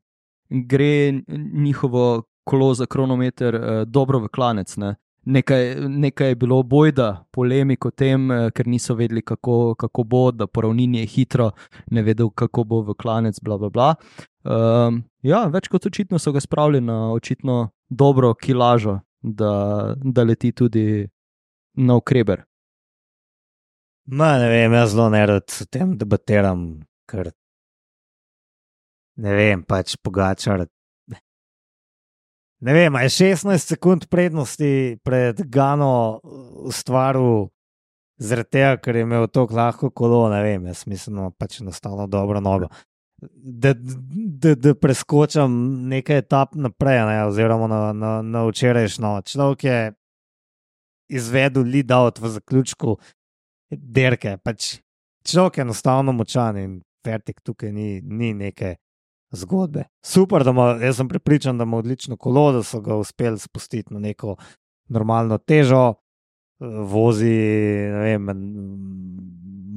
gre njihovo kolo za kronometer uh, dobro v klanec. Ne? Nekaj, nekaj je bilo bojda, polemik o tem, uh, ker niso vedeli, kako, kako bo, da po ravnini je hitro, ne vedel, kako bo v klanec, bla, bla, bla. Um, ja, več kot očitno so ga spravili na očitno dobro kilažo, da, da leti tudi na ukreber. Ma, ne vem, jaz zelo nerad o tem debatiram, ker ne vem, pač Pogačar. Ne vem, a je šestnajst sekund prednosti pred Gano ustvaril zaradi tega, ker je imel tako lahko kolo, ne vem, jaz mislim, da pač enostavno dobro nogo. Da, da, da preskočam nekaj etap naprej, ne, oziroma na, na, na včerajšnjo. Človek je izvedel lead out v zaključku derke, pač človek je enostavno močan in Fertik tukaj ni, ni neke zgodbe. Super, da ima, jaz sem prepričan, da ima odlično kolo, da so ga uspeli spustiti na neko normalno težo, vozi, ne vem,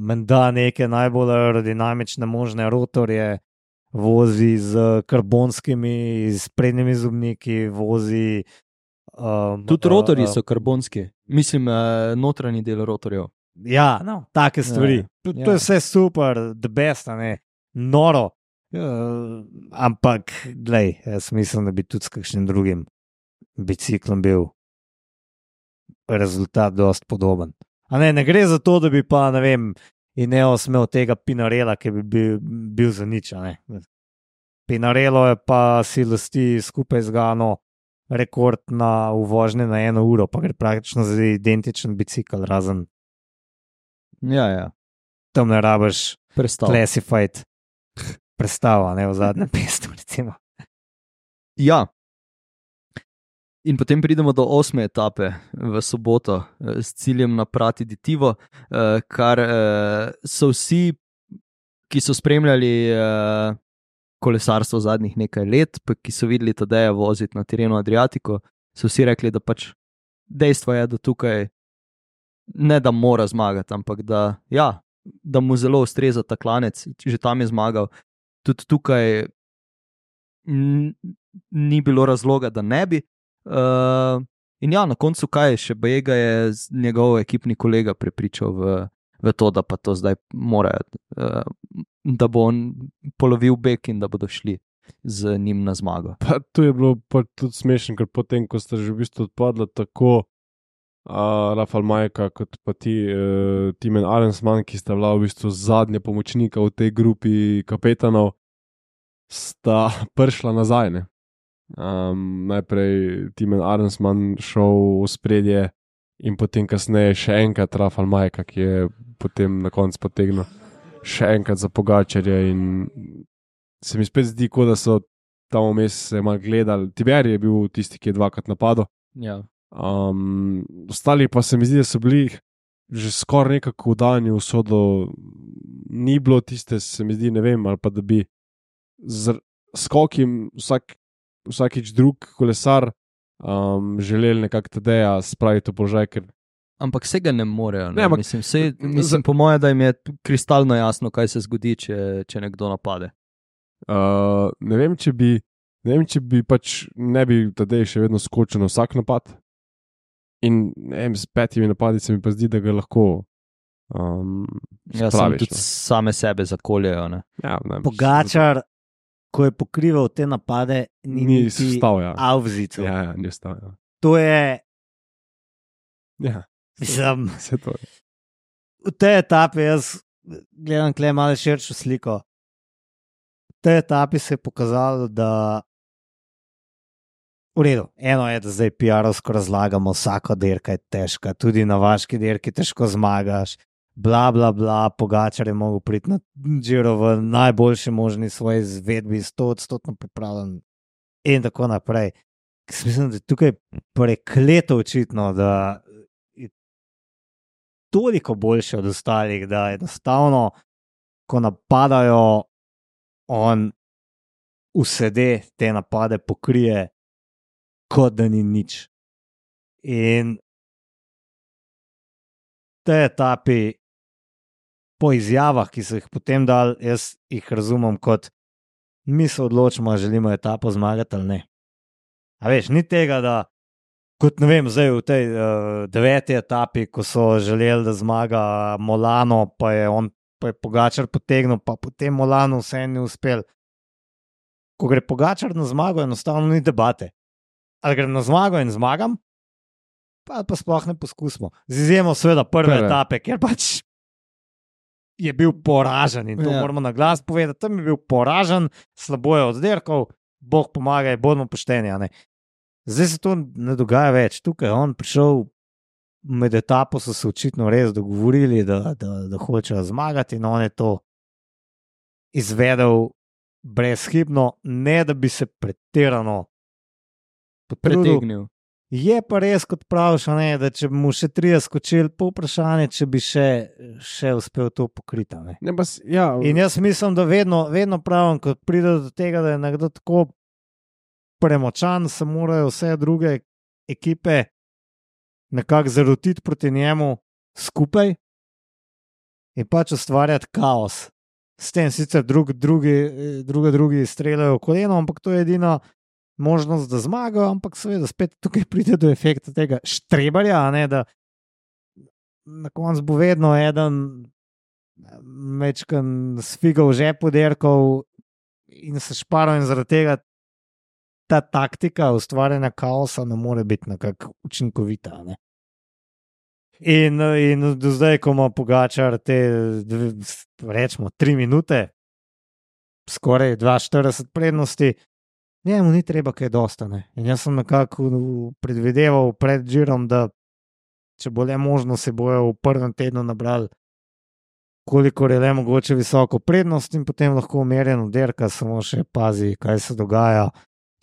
menda neke najbolj aerodinamične možne rotorje, vozi z karbonskimi, s prednjimi zobniki, vozi. Um, Tudi rotorji uh, so karbonski, mislim, uh, notranji del rotorjev. Ja, no, take stvari. Ja, To, ja. to je vse super, the best, a ne, noro. Uh, ampak, glej, jaz mislim, da bi tudi s kakšnim drugim biciklom bil rezultat dosti podoben. A ne, ne gre za to, da bi pa, ne vem, Ineos imel tega Pinarela, ki bi bil, bil za nič. Pinarelo je pa si lasti skupaj z Gano rekord na uvožnje na eno uro, pa gre praktično za identičen bicikl, razen Ja, ja. tam ne rabiš Prestav. classified prestava, ne v zadnjem pestu, recimo. Ja. In potem pridemo do osme etape v soboto eh, s ciljem na Prati di Tivo, eh, kar eh, so vsi, ki so spremljali eh, kolesarstvo zadnjih nekaj let, pa ki so videli Tadeja voziti na terenu Adriatico, so vsi rekli, da pač dejstvo je, da tukaj ne da mora zmagati, ampak da, ja, da mu zelo ustreza ta klanec, že tam je zmagal. Tudi tukaj n- ni bilo razloga, da ne bi. Uh, in ja, na koncu kaj, še Bajega je njegov ekipni kolega prepričal v, v to, da pa to zdaj morajo, uh, da bo on polovil bek in da bodo šli z njim na zmago. Pa to je bilo pa tudi smešno, ker potem, ko sta že v bistvu odpadla tako uh, Rafal Majka kot pa ti uh, Timen Arensman, ki sta bila v bistvu zadnja pomočnika v tej grupi kapetanov, sta prišla nazaj, ne? Um, najprej Timen Arensman šel v spredje in potem kasneje še enkrat Rafal Majka, ki je potem na koncu potegnil še enkrat za Pogačarja in se mi spet zdi, kot da so tam vmes se malo gledali. Tiber je bil tisti, ki je dvakrat napadel. Ja. Um, ostali pa se mi zdi, da so bili že skoraj nekako vdani v sodo. Ni bilo tiste, se mi zdi, ne vem, ali pa da bi z skokim vsak vsakič drug kolesar um, želeli nekako Tadeja spraviti v položaj, ker Ampak vse ga ne morejo. Ne? Ne, ampak- Mislim, vse, mislim, po mojem, da jim je kristalno jasno, kaj se zgodi, če, če nekdo napade. uh, ne vem, če bi ne vem, če bi pač ne bi Tadej še vedno skočil na vsak napad. In ne vem, s petimi napadi se mi pa zdi, da ga lahko um, Ja, sem spraviš, tudi no. same sebe zakoljejo. Ne? Ja, ne, Pogačar, ko je pokrival te napade, ni, Ni niti stal, ja. avzico. Ja, ja, ni stal, ja. To je, Ja, mislim, vse to je. v tej etapi jaz gledam kle malo širšo sliko. V tej etapi se je pokazalo, da v redu, eno je, da zdaj P R-ovsko razlagamo, vsaka dirka je težka, tudi na vaški dirki težko zmagaš, bla, bla, bla, Pogačar je mogel priti na Giro v najboljši možni svoji izvedbi, sto odstotno pripravljen in tako naprej. Mislim, da je tukaj prekleto očitno, da je toliko boljše od ostalih, da enostavno, ko napadajo, on usede te napade pokrije, kot da ni nič. In v tej etapi, po izjavah, ki so jih potem dal, jaz jih razumem kot mi se odločimo, ali želimo etapo zmagati ali ne. A veš, ni tega, da kot ne vem, zdaj v tej uh, deveti etapi, ko so želeli, da zmaga Molano, pa je on pa je Pogačar potegnil, pa potem Molano vse ni uspel. Ko gre Pogačar na zmago, enostavno ni debate. Ali grem na zmago in zmagam, pa, pa sploh ne poskusimo. Z izjemo seveda prve Prve. etape, ker pač je bil poražen in to Ja. ja. moramo na glas povedati. Tam je bil poražen, slabo je oddirkal, Bog pomagaj, bodimo pošteni. a ne. Zdaj se to ne dogaja več. Tukaj je on prišel med etapo, so se očitno res dogovorili, da, da, da hočejo zmagati in on je to izvedel brezhibno, ne da bi se pretirano potrudil. Pretegnil. Je pa res, kot praviš, a ne, da če bi mu še trije skočili, po vprašanje, če bi še, še uspel to pokriti. a ne. Ne, pa, s- ja, In jaz mislim, da vedno, vedno pravim, ko pride do tega, da je nekdo tako premočan, se morajo vse druge ekipe nekako zarotiti proti njemu skupaj in pač ustvarjati kaos. S tem sicer drug, drugi, druge, drugi streljajo v koleno, ampak to je edina možnost, da zmagajo, ampak seveda spet tukaj pride do efekta tega štrebarja, a ne, da na koncu bo vedno eden mečkan s figo v žepu derkal in se šparal in zaradi tega ta taktika ustvarjanja kaosa ne more biti nekako učinkovita. Ne? In, in do zdaj, ko ima Pogačar te, rečemo, tri minute, skoraj dvainštirideset prednosti, njemu ni treba kaj dosta. Ne? In jaz sem nekako predvideval pred Girom, da če bo le možno, se bojo v prvem tednu nabrali koliko je le mogoče visoko prednost in potem lahko umerjeno derka, samo še pazi, kaj se dogaja,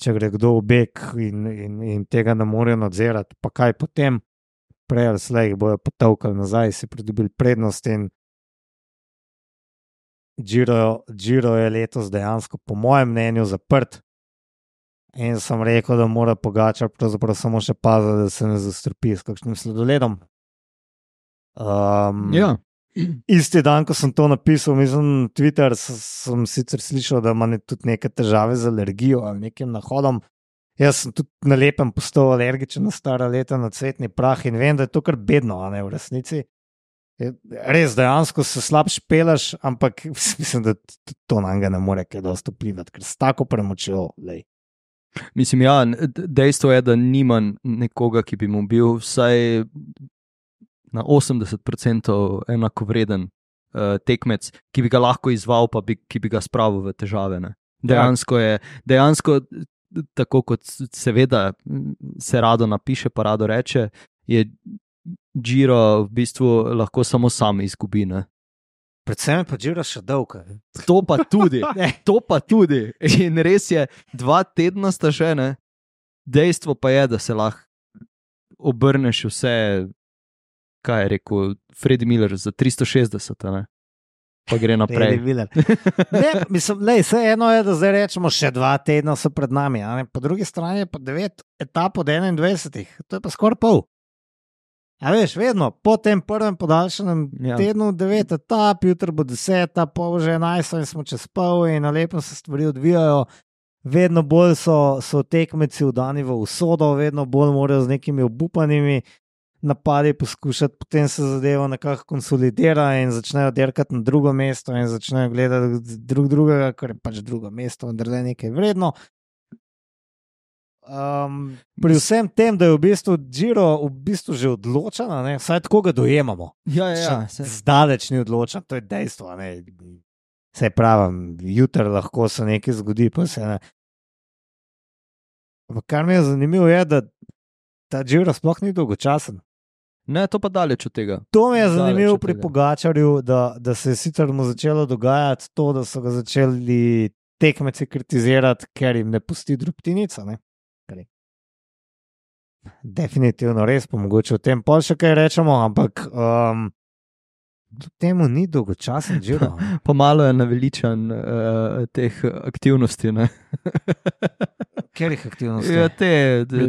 če gre kdo v beg in, in, in tega ne morejo nadzirati, pa kaj potem, prej ali slej bojo potovkali nazaj, si pridobili prednost in Giro, Giro je letos dejansko, po mojem mnenju, zaprt. In sem rekel, da mora Pogačar pravzaprav samo še paziti, da se ne zastrpi s kakšnim sledoledom. Um, ja. Isti dan, ko sem to napisal, mislim, Twitter, sem sicer slišal, da ima tudi neke težave z alergijo ali nekim nahodom. Jaz sem tudi na lepem postal alergičen na stara leta na cvetni prah in vem, da je to kar bedno, a ne v resnici. Res, dejansko se slab špelaš, ampak mislim, da to na njega ne more kaj dosti vplivati, ker s tako premočjo, lej. Mislim, ja, dejstvo je, da nimam nekoga, ki bi mu bil vsaj na osemdeset procentov enakovreden uh, tekmec, ki bi ga lahko izval, pa bi, ki bi ga spravil v težave. Ne. Dejansko je, dejansko, tako kot seveda se rado napiše, pa rado reče, je Giro v bistvu lahko samo sam izgubi. Ne. Predvsem je pa Giro še dolg. To pa tudi, to pa tudi. In res je, dva tedna sta še, ne. Dejstvo pa je, da se lahko obrneš vse, kaj je rekel Freddy Miller, za tristo šestdeset, ne? Pa gre naprej. Ne, mislim, lej, vse eno je, da zdaj rečemo, še dva tedna so pred nami, a ne? Po drugi strani je pa devet etap od enaindvajsetih, to je pa skoraj pol. A veš, vedno, po tem prvem podaljšanem ja. tednu devet etap, jutro bo deset, pol že enajst in smo čez pol in na lepo se stvari odvijajo. Vedno bolj so, so tekmeci vdani v usodo, vedno bolj morajo z nekimi obupanimi napadi poskušati, potem se zadeva nekako konsolidira in začnejo derkati na drugo mesto in začnejo gledati drug drugega, ker je pač drugo mesto, vendar je nekaj vredno. Um, pri vsem tem, da je v bistvu Giro v bistvu že odločen, vsaj tako ga dojemamo. Ja, ja, ja. Zdaleč ni odločen, to je dejstvo. Ne? Saj pravim, jutri lahko se nekaj zgodi, pa se ne. Ampak kar mi je zanimivo je, da ta Giro sploh ni dolgočasen. Ne, to pa daleč od tega. To mi je zanimivo pri Pogačarju, da, da se je sicer mu začelo dogajati to, da so ga začeli tekmeci kritizirati, ker jim ne pusti drobtinica. Ne? Definitivno res, pa mogoče o tem pol še kaj rečemo, ampak um, temu ni dolgočasen Giro. Pa malo je naveličan uh, teh aktivnosti, ne? Katerih aktivnosti? Ja, te,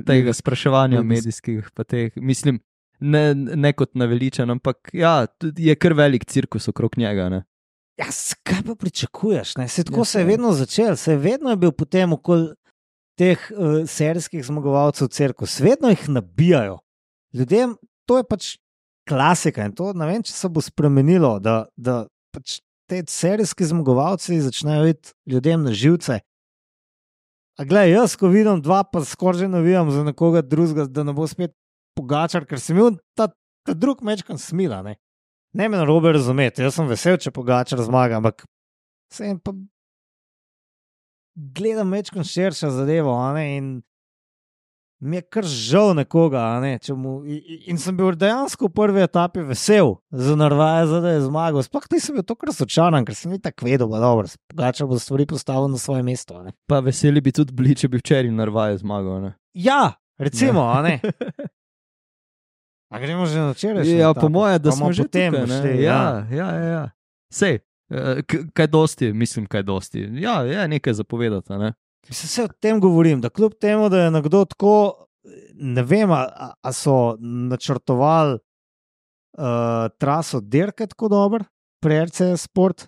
tega spraševanja medijskih, pa teh, mislim, ne, ne kot naveličan, ampak ja, je kar velik cirkus okrog njega, ne? Ja, kaj pa pričakuješ, ne? Se tako ja, se je vedno začel, se je vedno je bil potem okoli teh uh, serijskih zmagovalcev cirkus, vedno jih nabijajo. Ljudem, to je pač klasika in to, ne vem, če se bo spremenilo, da, da pač te serijski zmagovalci začnejo iti ljudem na živce. A glej, jaz, ko vidim dva, pa skoraj že navijam za nekoga drugega, da ne bo spet Pogačar, ker sem imel ta, ta drug mečkan smila, ne. Ne me narobe razumeti, jaz sem vesel, če Pogačar zmaga, ampak sem pa gledam mečkan širša zadevo, a ne, in mi je kar žal nekoga, a ne, če mu, in, in sem bil dejansko v prvi etapi vesel za Narvaeza, da je zmagal, sploh nisem bil tokrat sočaran, ker sem mi tako vedel, pa dobro, Pogačar bo stvari postavil na svoje mesto, a ne. Pa veseli bi tudi bili, če bi včeraj Narvaez zmagal, ne. Ja, recimo, ja. A ne. A gremo že na včerajšnjo? Ja, po moje, da smo že potem tukaj, šli, ja, ja, ja, ja. Sej, kaj dosti, mislim, kaj dosti. Ja, je nekaj zapovedati, ne? Mislim, se o tem govorim, da kljub temu, da je nekdo tako, ne vem, a, a so načrtovali uh, traso dirke tako dober, pri R C Sport,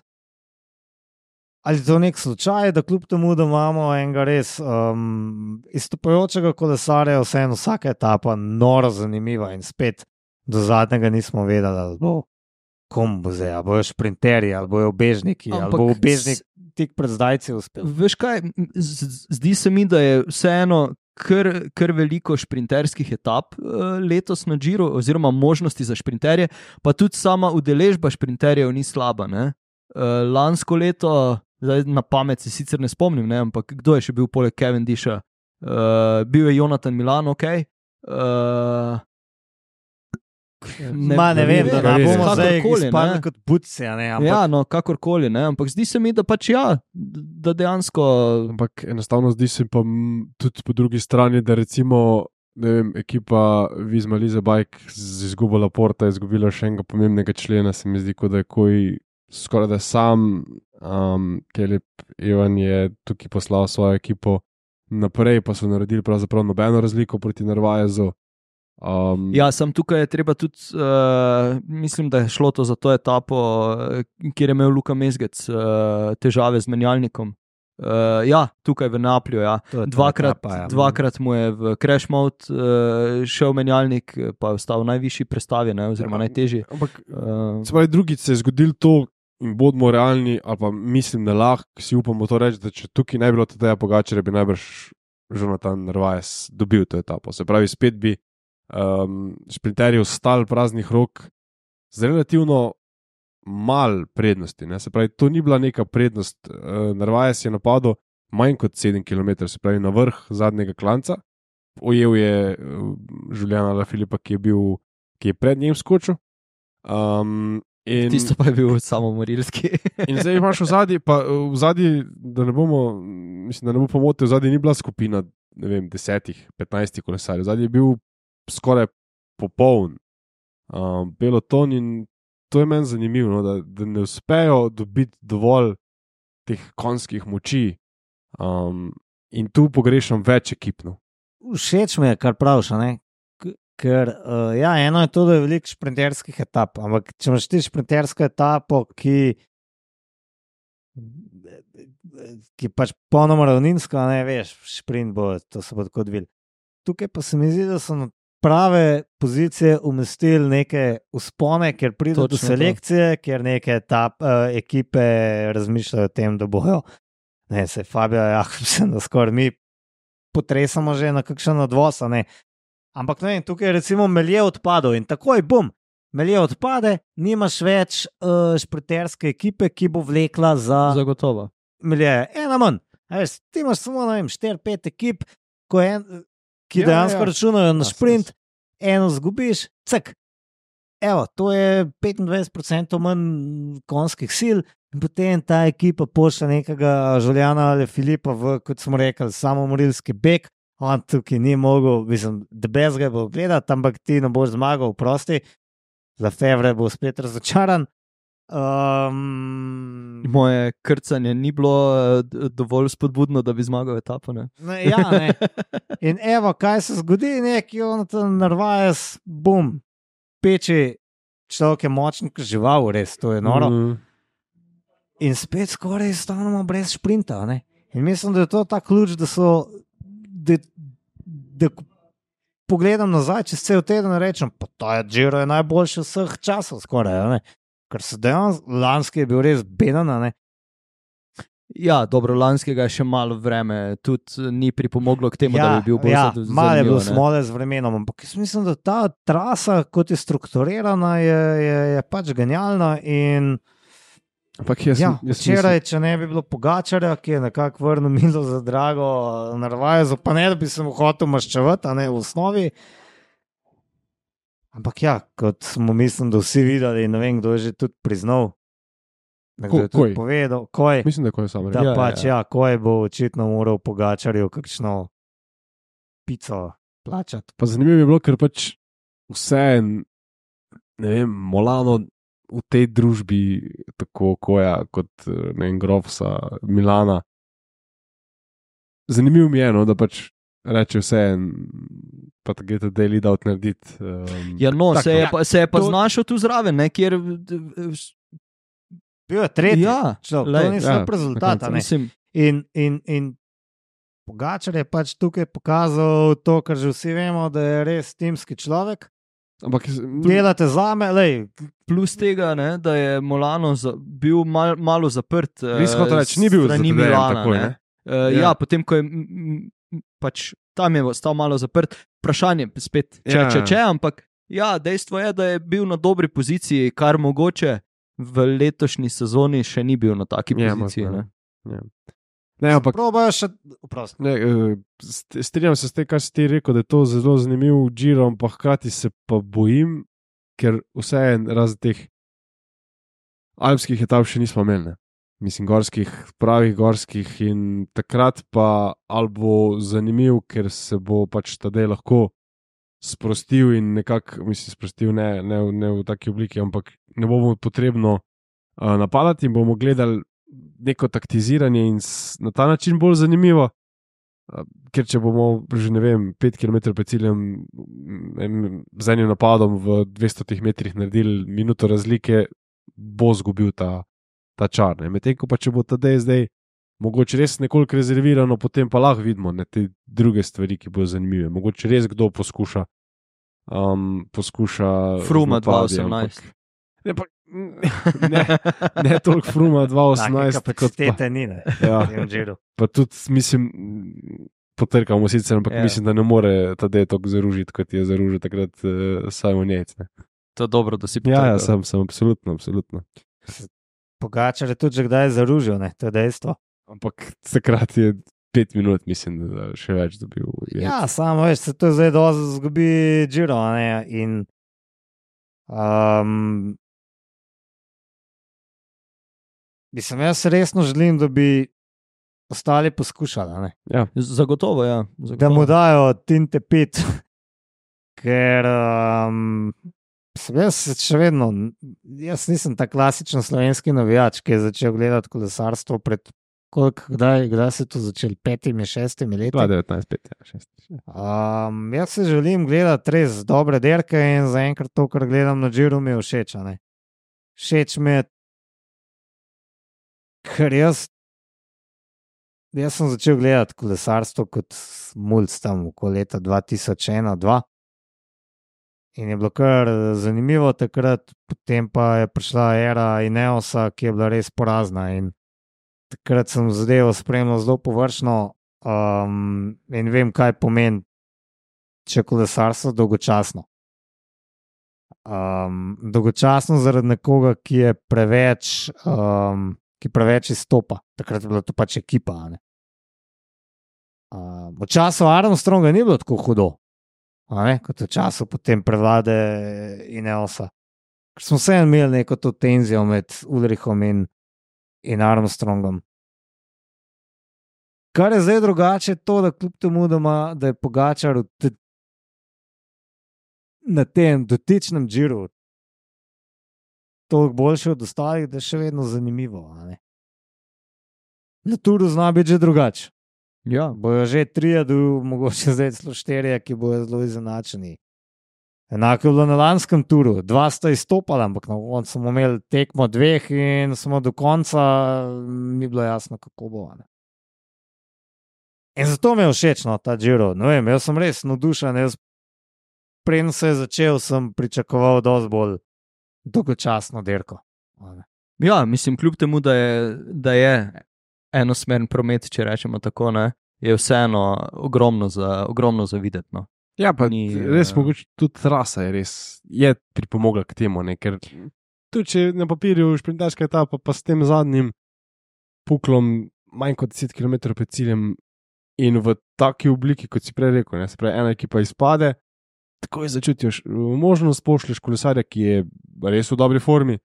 ali to nek slučaj, da kljub temu, da imamo enega res um, izstopajočega kolesarja, vseeno vsaka etapa noro zanimiva in spet do zadnjega nismo vedeli, ali bo kom bo zdaj, ali bojo šprinterji, ali bojo obežniki, ali bo obežnik tik pred zdajci uspel. Veš kaj, zdi se mi, da je vseeno kar, kar veliko šprinterskih etap uh, letos na Giro, oziroma možnosti za šprinterje, pa tudi sama udeležba šprinterjev ni slaba. Ne? Uh, lansko leto, zdaj na pamet se sicer ne spomnim, ne? Ampak kdo je še bil poleg Cavendisha? Uh, bil je Jonathan Milan, ok. Uh, Ne, Ma, ne vem, da ne bomo zdaj izpadli kot buci. Ampak... Ja, no, kakorkoli, ne, ampak zdi se mi, da pač ja, da dejansko. Ampak enostavno zdi se pa tudi po drugi strani, da recimo, ne vem, ekipa Visma Lease Bike z izgubo Laporta je izgubila še enega pomembnega člena, se mi zdi, kot da je koj skoraj da sam, um, Kelep Evan je tukaj poslal svojo ekipo naprej, pa so naredili pravzaprav nobeno razliko proti Narvaezu. Um, ja, sem tukaj je treba tudi, uh, mislim, da je šlo to za to etapo, kjer je imel Luka Mezgec uh, težave z menjalnikom. Uh, ja, tukaj v Naplju, ja. Dvakrat, etapa, ja. dvakrat mu je v crash mode uh, šel menjalnik, pa je ostal v najvišji prestavi, ne, oziroma ja, najtežji. Ampak, uh, se pravi, drugič se je zgodil to in bodimo realni, ali pa mislim, da lahko si upamo to reči, da če tukaj ne bi bilo Tadeja Pogačarja, bi najbrž Jonathan Narvaez dobil to etapo. Se pravi, spet bi Um, šprinterji ostali praznih rok z relativno mal prednosti. Ne? Se pravi, to ni bila neka prednost. Uh, Narvaez je napadel manj kot sedem kilometrov, se pravi na vrh zadnjega klanca. Ojel je uh, Juliana Alaphilippa, ki je bil, ki je pred njim skočil. Um, in... Tisto pa je bil samomorilski. In zdaj imaš v zadnji, pa v zadnji, da ne bomo, mislim, da ne bo pomotil, v zadnji ni bila skupina, ne vem, desetih, petnajstih kolesarjev. V zadnji je bil skoraj popoln um, peloton in to je meni zanimivo, no, da, da ne uspejo dobiti dovolj teh konjskih moči um, in tu pogrešam več ekipno. Všeč mi je, kar praviš, ne? Ker uh, ja, eno je to, da je veliko šprinterskih etap, ampak če imaš ti šprintersko etapo, ki ki pač ponoma ravninsko, ne veš, šprint bo, to se bo tako odvil. Tukaj pa se mi zdi, da so na prave pozicije umestili neke uspone, ker pride do selekcije, to. Ker neke etap, uh, ekipe razmišljajo o tem, da bojo, ne, se Fabio Jakobsen, da skoraj mi potresamo že na kakšen odvoz, ne. Ampak ne, tukaj je recimo Melje odpadel in takoj, bum, Melje odpade, nimaš več uh, šprinterske ekipe, ki bo vlekla za... Zagotovo. Melje, ena manj. Veš, ti imaš samo, ne vem, štiri pet ekip, ko je en... ki ja, dejansko ja. računajo na sprint, eno zgubiš, cek. Evo, to je petindvajset procentov manj konjskih sil in potem ta ekipa pošlja nekega Juliana Alaphilippa v, kot smo rekli, samomorilski beg, on tukaj ni mogel, mislim, da bez ga bo gledati, ampak ti ne boš zmagal, prosti, Lefevre bo spet razočaran. Um, Moje krcanje ni bilo dovolj spodbudno, da bi zmagal etapo. Ne? Ne, ja, ne. In evo, kaj se zgodi, neki Jonathan Narvaez, bum, peči, človek je močen, kot žival, res, to je noro. Mm. In spet skoraj stanemo brez šprinta. Ne? In mislim, da je to ta ključ, da so, da, da pogledam nazaj, čez cel teden rečem, pa ta je Giro je najboljši vseh časov, skoraj, ne? Ker se dejansko, lanski je bil res beden, ne? Ja, dobro, lanskega je še malo vreme, tudi ni pripomoglo k temu, ja, da bi bil bolj ja, zanimiv. Malo je bilo smole z vremenom, ampak jaz mislim, da ta trasa, kot je strukturirana, je, je, je pač genialna in jaz, ja, jaz včeraj, mislim... če ne bi bilo Pogačarja, ki je nekako vrnil milo za drago Narvaezu, pa ne, da bi se mu hotel maščevati, a ne v osnovi. Ampak ja, kot smo mislim, da vsi videli, ne vem, kdo je že tudi priznal, nekdo je tudi povedal, koj, mislim, da je koj samo rekel. Da Ja, pač, ja. ja, koj bo očitno moral Pogačarju kakšno pico plačati. Pa zanimivo je bilo, ker pač vse, ne vem, Molano v tej družbi, tako koja kot, ne vem, Grofsa, Milana, zanimivo mi je, no, da pač reče vse en, pa da gre ta daily out narediti. Um, ja, no, tak, se je, no. pa, se je pa To- znašel tu zraven, ne, kjer... Bil je tretji, Ja, človek, lej, to ni ja, slab rezultat. na a ne. Mislim, In, in, in Pogačar je pač tukaj pokazal to, kar že vsi vemo, da je res timski človek. Ampak, delate zame, lej, Plus tega, ne, da je Molano za, bil mal, malo zaprt. Res hotel reči, ni bil za strani Tadejem Milana, takoj, ne. ne? Uh, Ja. ja. ja, potem ko je m, m, pač tam je stal malo zaprt, vprašanje spet, če, Ja. če, če, ampak ja, dejstvo je, da je bil na dobri poziciji, kar mogoče v letošnji sezoni še ni bil na taki Ja, poziciji. možno, Ne. ja. Ne, ampak probajo še, oprosti. ne, eh, st- strinjam se s tem, kar si ti rekel, da je to zelo zanimiv Giro, ampak hkrati se pa bojim, ker vseeno razen teh alpskih etap še nismo imeli. Ne. Mislim, gorskih, pravih gorskih, in takrat pa ali bo zanimiv, ker se bo pač Tadej lahko sprostil in nekako, mislim, sprostil ne, ne, v- ne v taki obliki, ampak ne bomo potrebno uh, napadati in bomo gledali neko taktiziranje in s, na ta način bolj zanimivo. Uh, ker če bomo že ne vem, pet kilometrov pred ciljem em, z enim napadom v dvesto metrih naredili minuto razlike, bo zgubil ta, ta čar. ne. Medtem ko pa če bo Tadej zdaj mogoče res nekoliko rezervirano, potem pa lahko vidimo ne, te druge stvari, ki bodo zanimive. Mogoče res kdo poskuša. Um, poskuša Fruma z napadi, dva osemnajst. ampak- Ne, pa, ne, ne toliko Fruma dva Take osemnajst, kot pa, kapacitete ni, ne, ja, v tem Giru. pa tudi mislim, potrkamo sicer, ampak Ja. yeah. mislim, da ne more Tadej tako zaružiti, kot je zaružil takrat uh, Simon Yates. ne. To je dobro, da si Ja, ja, potrgal. sem, sem, absolutno, absolutno. Pogačar je tudi že kdaj zaružil, ne, to je dejstvo. Ampak takrat je pet minut, mislim, da še več dobil. Ja, samo veš, se to zdaj dosti zgubi Giro, a ne, in um, mislim, jaz resno želim, da bi ostali poskušali, a ne. Ja. Zagotovo, ja. Da Zagotovo. mu dajo tinte pet, ker um, sem jaz še vedno, jaz nisem ta klasičen slovenski navijač, ki je začel gledati kolesarstvo pred, koliko, kdaj, kdaj se je to začelo, petimi, šestimi leti. dva devetnajst, pet, ja, šest. Um, jaz se želim gledati res dobre derke in zaenkrat to, kar gledam na Giru, mi je všeč. a ne. Všeč mi je, ker jaz, jaz sem začel gledati kolesarstvo kot mulj tam okoli leta dva tisoč ena dva. In je bilo kar zanimivo takrat, potem pa je prišla era Ineosa, ki je bila res porazna. In takrat sem zadevo spremljal zelo površno um, in vem, kaj pomeni, če je kolesarstvo dolgočasno. Um, dolgočasno zaradi nekoga, ki je preveč, um, ki preveč izstopa. Takrat je bila to pač ekipa. a ne. Um, v času Armstronga ni bilo tako hudo. A ne, kot v času potem prevlade Ineosa. Ker smo vseeno imeli neko to tenzijo med Ulrichom in, in Armstrongom. Kar je zdaj drugače, je to, da kljub temu, da, ima, da je Pogačar v te, na tem dotičnem Giru toliko boljši od ostalih, da je še vedno zanimivo. a ne. Na Turu zna biti že drugače. Ja, Bojo že trije, mogoče zdaj celo štirje, ki bojo zelo izenačeni. Enako je bilo na lanskem turu, dva sta izstopala, ampak na koncu smo imeli tekmo dveh in smo do konca, ni bilo jasno, kako bo. Ne. In zato mi je všeč no, ta Giro. Ne vem, jaz sem res navdušen. Jaz, preden se je začel, sem pričakoval dosti bolj dolgočasno dirko. a ne. ja, mislim, kljub temu, da je, da je enosmeren promet, če rečemo tako, ne, je vseeno ogromno za, ogromno za videti. No. Ja, pa Ni, Ni, res eh, mogoče tudi trasa je res je pripomogla k temu, ne, ker tudi če na papirju šprinterska etapa, pa s tem zadnjim puklom manj kot deset kilometrov pred ciljem in v taki obliki, kot si prej rekel, ne, se pravi, ena ekipa izpade, takoj začutiš možnost, pošlješ kolesarja, ki je res v dobri formi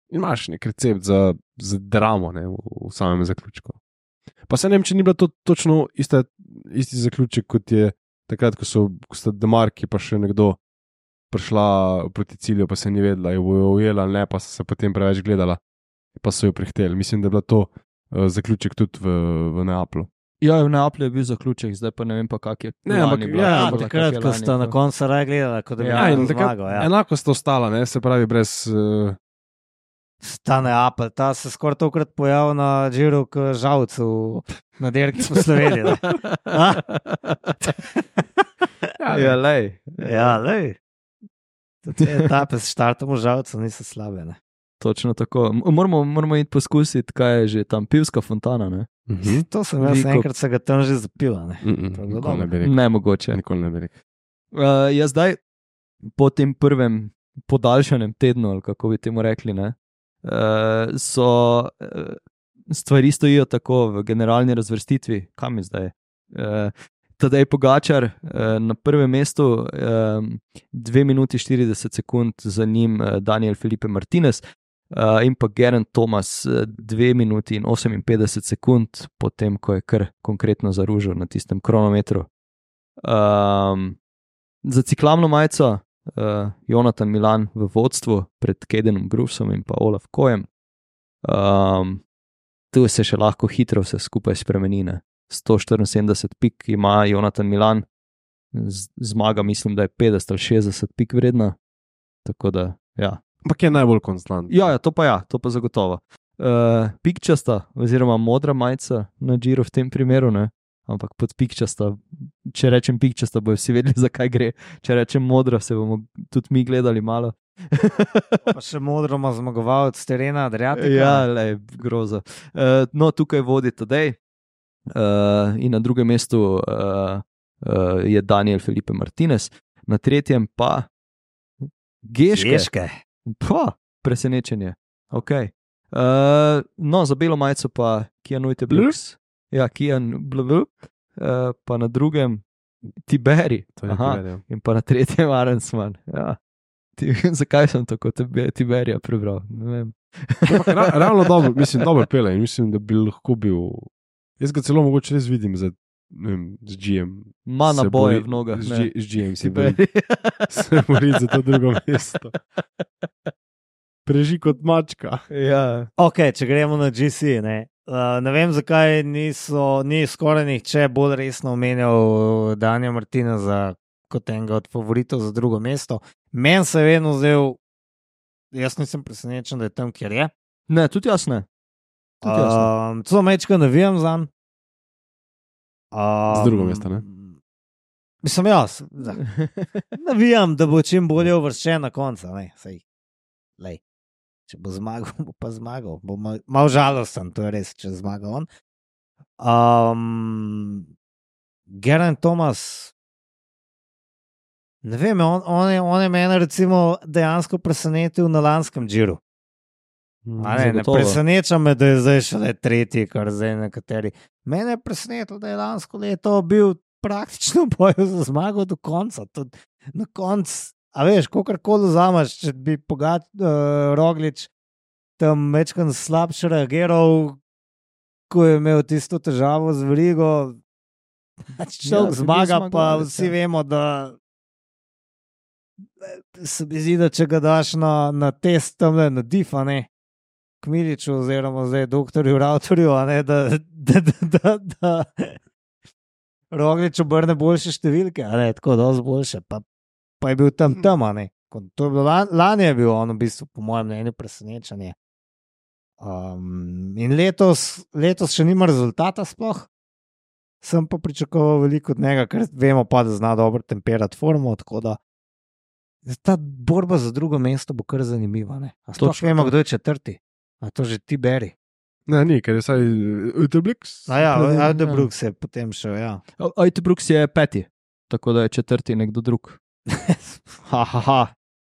in imaš nek recept za, za dramo ne, v, v samem zaključku. Pa se ne vem, če ni bila to točno ista, isti zaključek, kot je takrat, ko so ko sta Demarki pa še nekdo prišla proti cilju, pa se ni vedela, jo bojo ujela ali ne, pa so se potem preveč gledala, pa so jo prihteli. Mislim, da je bila to uh, zaključek tudi v, v Neaplu. Ja, v Neaplju je bil zaključek, zdaj pa ne vem pa, kak je. Ne, ampak lani bila. ja, Ja, ampak takrat, ko sta na koncu raje gledala, kot da bi Ja, ja, in takrat zmagal. Ja. enako sta ostala, ne, se pravi, brez. Uh, Ta Neapelj, ta se skoraj tokrat pojavil na Giru, kot žalcu na dirki po Sloveniji. Ja, lej. Ja, lej. Te etape s štartom v žalcu niso slabe. Ne? Točno tako. Moramo, moramo iti poskusiti, kaj je že tam pivska fontana. Ne, Mhm. To sem jaz Veliko- enkrat se ga tam že zapila. Ne? Mm-mm, To je bilo Nikoli dobro. ne bi rekel. ne mogoče. Nikoli ne bi rekel. Uh, jaz zdaj, po tem prvem podaljšanem tednu, ali kako bi temu rekli, ne, uh, so uh, stvari stojijo tako v generalni razvrstitvi, kam je zdaj. Uh, Tadej Pogačar uh, na prvem mestu, um, dve minuti štirideset sekund, za njim uh, Daniel Felipe Martinez. Uh, in pa Geraint Thomas, uh, dve minuti in oseminpetdeset sekund, potem ko je kar konkretno zaružil na tistem kronometru. Um, za ciklamno majico uh, Jonathan Milan v vodstvu pred Cadenom Groovesom in pa Olaf Kojem. Um, tu se še lahko hitro vse skupaj spremeni. ne. sto štiriinsedemdeset pik ima Jonathan Milan, z- zmaga mislim, da je petdeset ali šestdeset pik vredna. Tako da, ja. Ampak je najbolj konstant. Ja, ja, to pa ja, to pa zagotovo. Uh, pikčasta, oziroma modra majica na Giro v tem primeru, ne? Ampak pod pikčasta, če rečem pikčasta, bojo vsi vedeli, zakaj gre. Če rečem modra, se bomo tudi mi gledali malo. Pa še modro ima zmagovalec terena, Adriatika. Ja, le, groza. Uh, no, tukaj vodi Tadej. Uh, in na drugem mestu uh, uh, je Daniel Felipe Martinez, na tretjem pa Geške. Geške. Pa, presenečenje. Okay. Uh, no, za belo majico pa Kian Uiteblux. Ja, Kian Blubl. Uh, pa na drugem Tiberi. To je Aha. Tiberija. In pa na tretjem Arensman. Ja. Ti, zakaj sem tako Tibe- Tiberija prebral? Ne vem. Ampak ra, ravno dobro, mislim, dobro pele in mislim, da bi lahko bil. Jaz ga celo mogoče res vidim za, ne vem, z G M. Ma Se naboje bori- v nogah. Z, ne. G, z G M si bori, Tiberija. se bori za to drugo mesto. Preži kot mačka. Ja. Ok, če gremo na G C. Ne, uh, ne vem, zakaj niso, ni skoraj nihče bolj resno omenjal Danja Martineza kot enega od favoritov za drugo mesto. Meni se je vedno zdel, jaz nisem presenečen, da je tam, kjer je. Ne, tudi jaz ne. Tudi jaz ne. Um, Celo mečka navijam za njim. Um, Z drugo mesto, ne? Mislim, jaz. da. Navijam, da bo čim bolje uvrščen na koncu. Ne, sej, lej. Če bo zmagal, bo pa zmagal. Bo mal, mal žalosten, to je res, če zmaga on. Um, Geraint Thomas, ne vem, on, on, je, on je mene recimo dejansko presenetil na lanskem Giru. A Ne, ne Zagotovo. preseneča me, da je zdaj šele tretji, kar zdaj nekateri. Mene je presenetilo, da je lansko leto bil praktično v boju za zmago do konca. Tud, na koncu, a veš, kogarkoli vzameš, če bi pogat, uh, Roglič tam večkrat slabše reagiral, ko je imel tisto težavo z verigo. Če Ja, človek bi bil zmaga, pa zmagovalec, vsi ja. vemo, da se mi zdi, da če ga daš na, na test tam na difa, ne. Kmiliču, oziroma zdaj doktorju Rautorju, a ne, da, da, da, da, da Roglič obrne boljše številke, a ne, tako dosti boljše, pa, pa je bil tam tam, a ne. Ko- To je bilo lan, lani je bil on v bistvu, po mojem mnenju, presenečenje. Um, in letos, letos še nima rezultata sploh. Sem pa pričakoval veliko od njega, ker vemo pa, da zna dobro temperati formo, tako da ta borba za drugo mesto bo kar zanimiva, ne. A sploh Točno vemo, to. kdo je četrti. A to že ti beri. Ne, ni, ker je vsaj Uteblix. A ja, Predem, Aldebruk se je potem še, ja. Uiteblux je peti, tako da je četrti nekdo drug. Ha, ha, ha.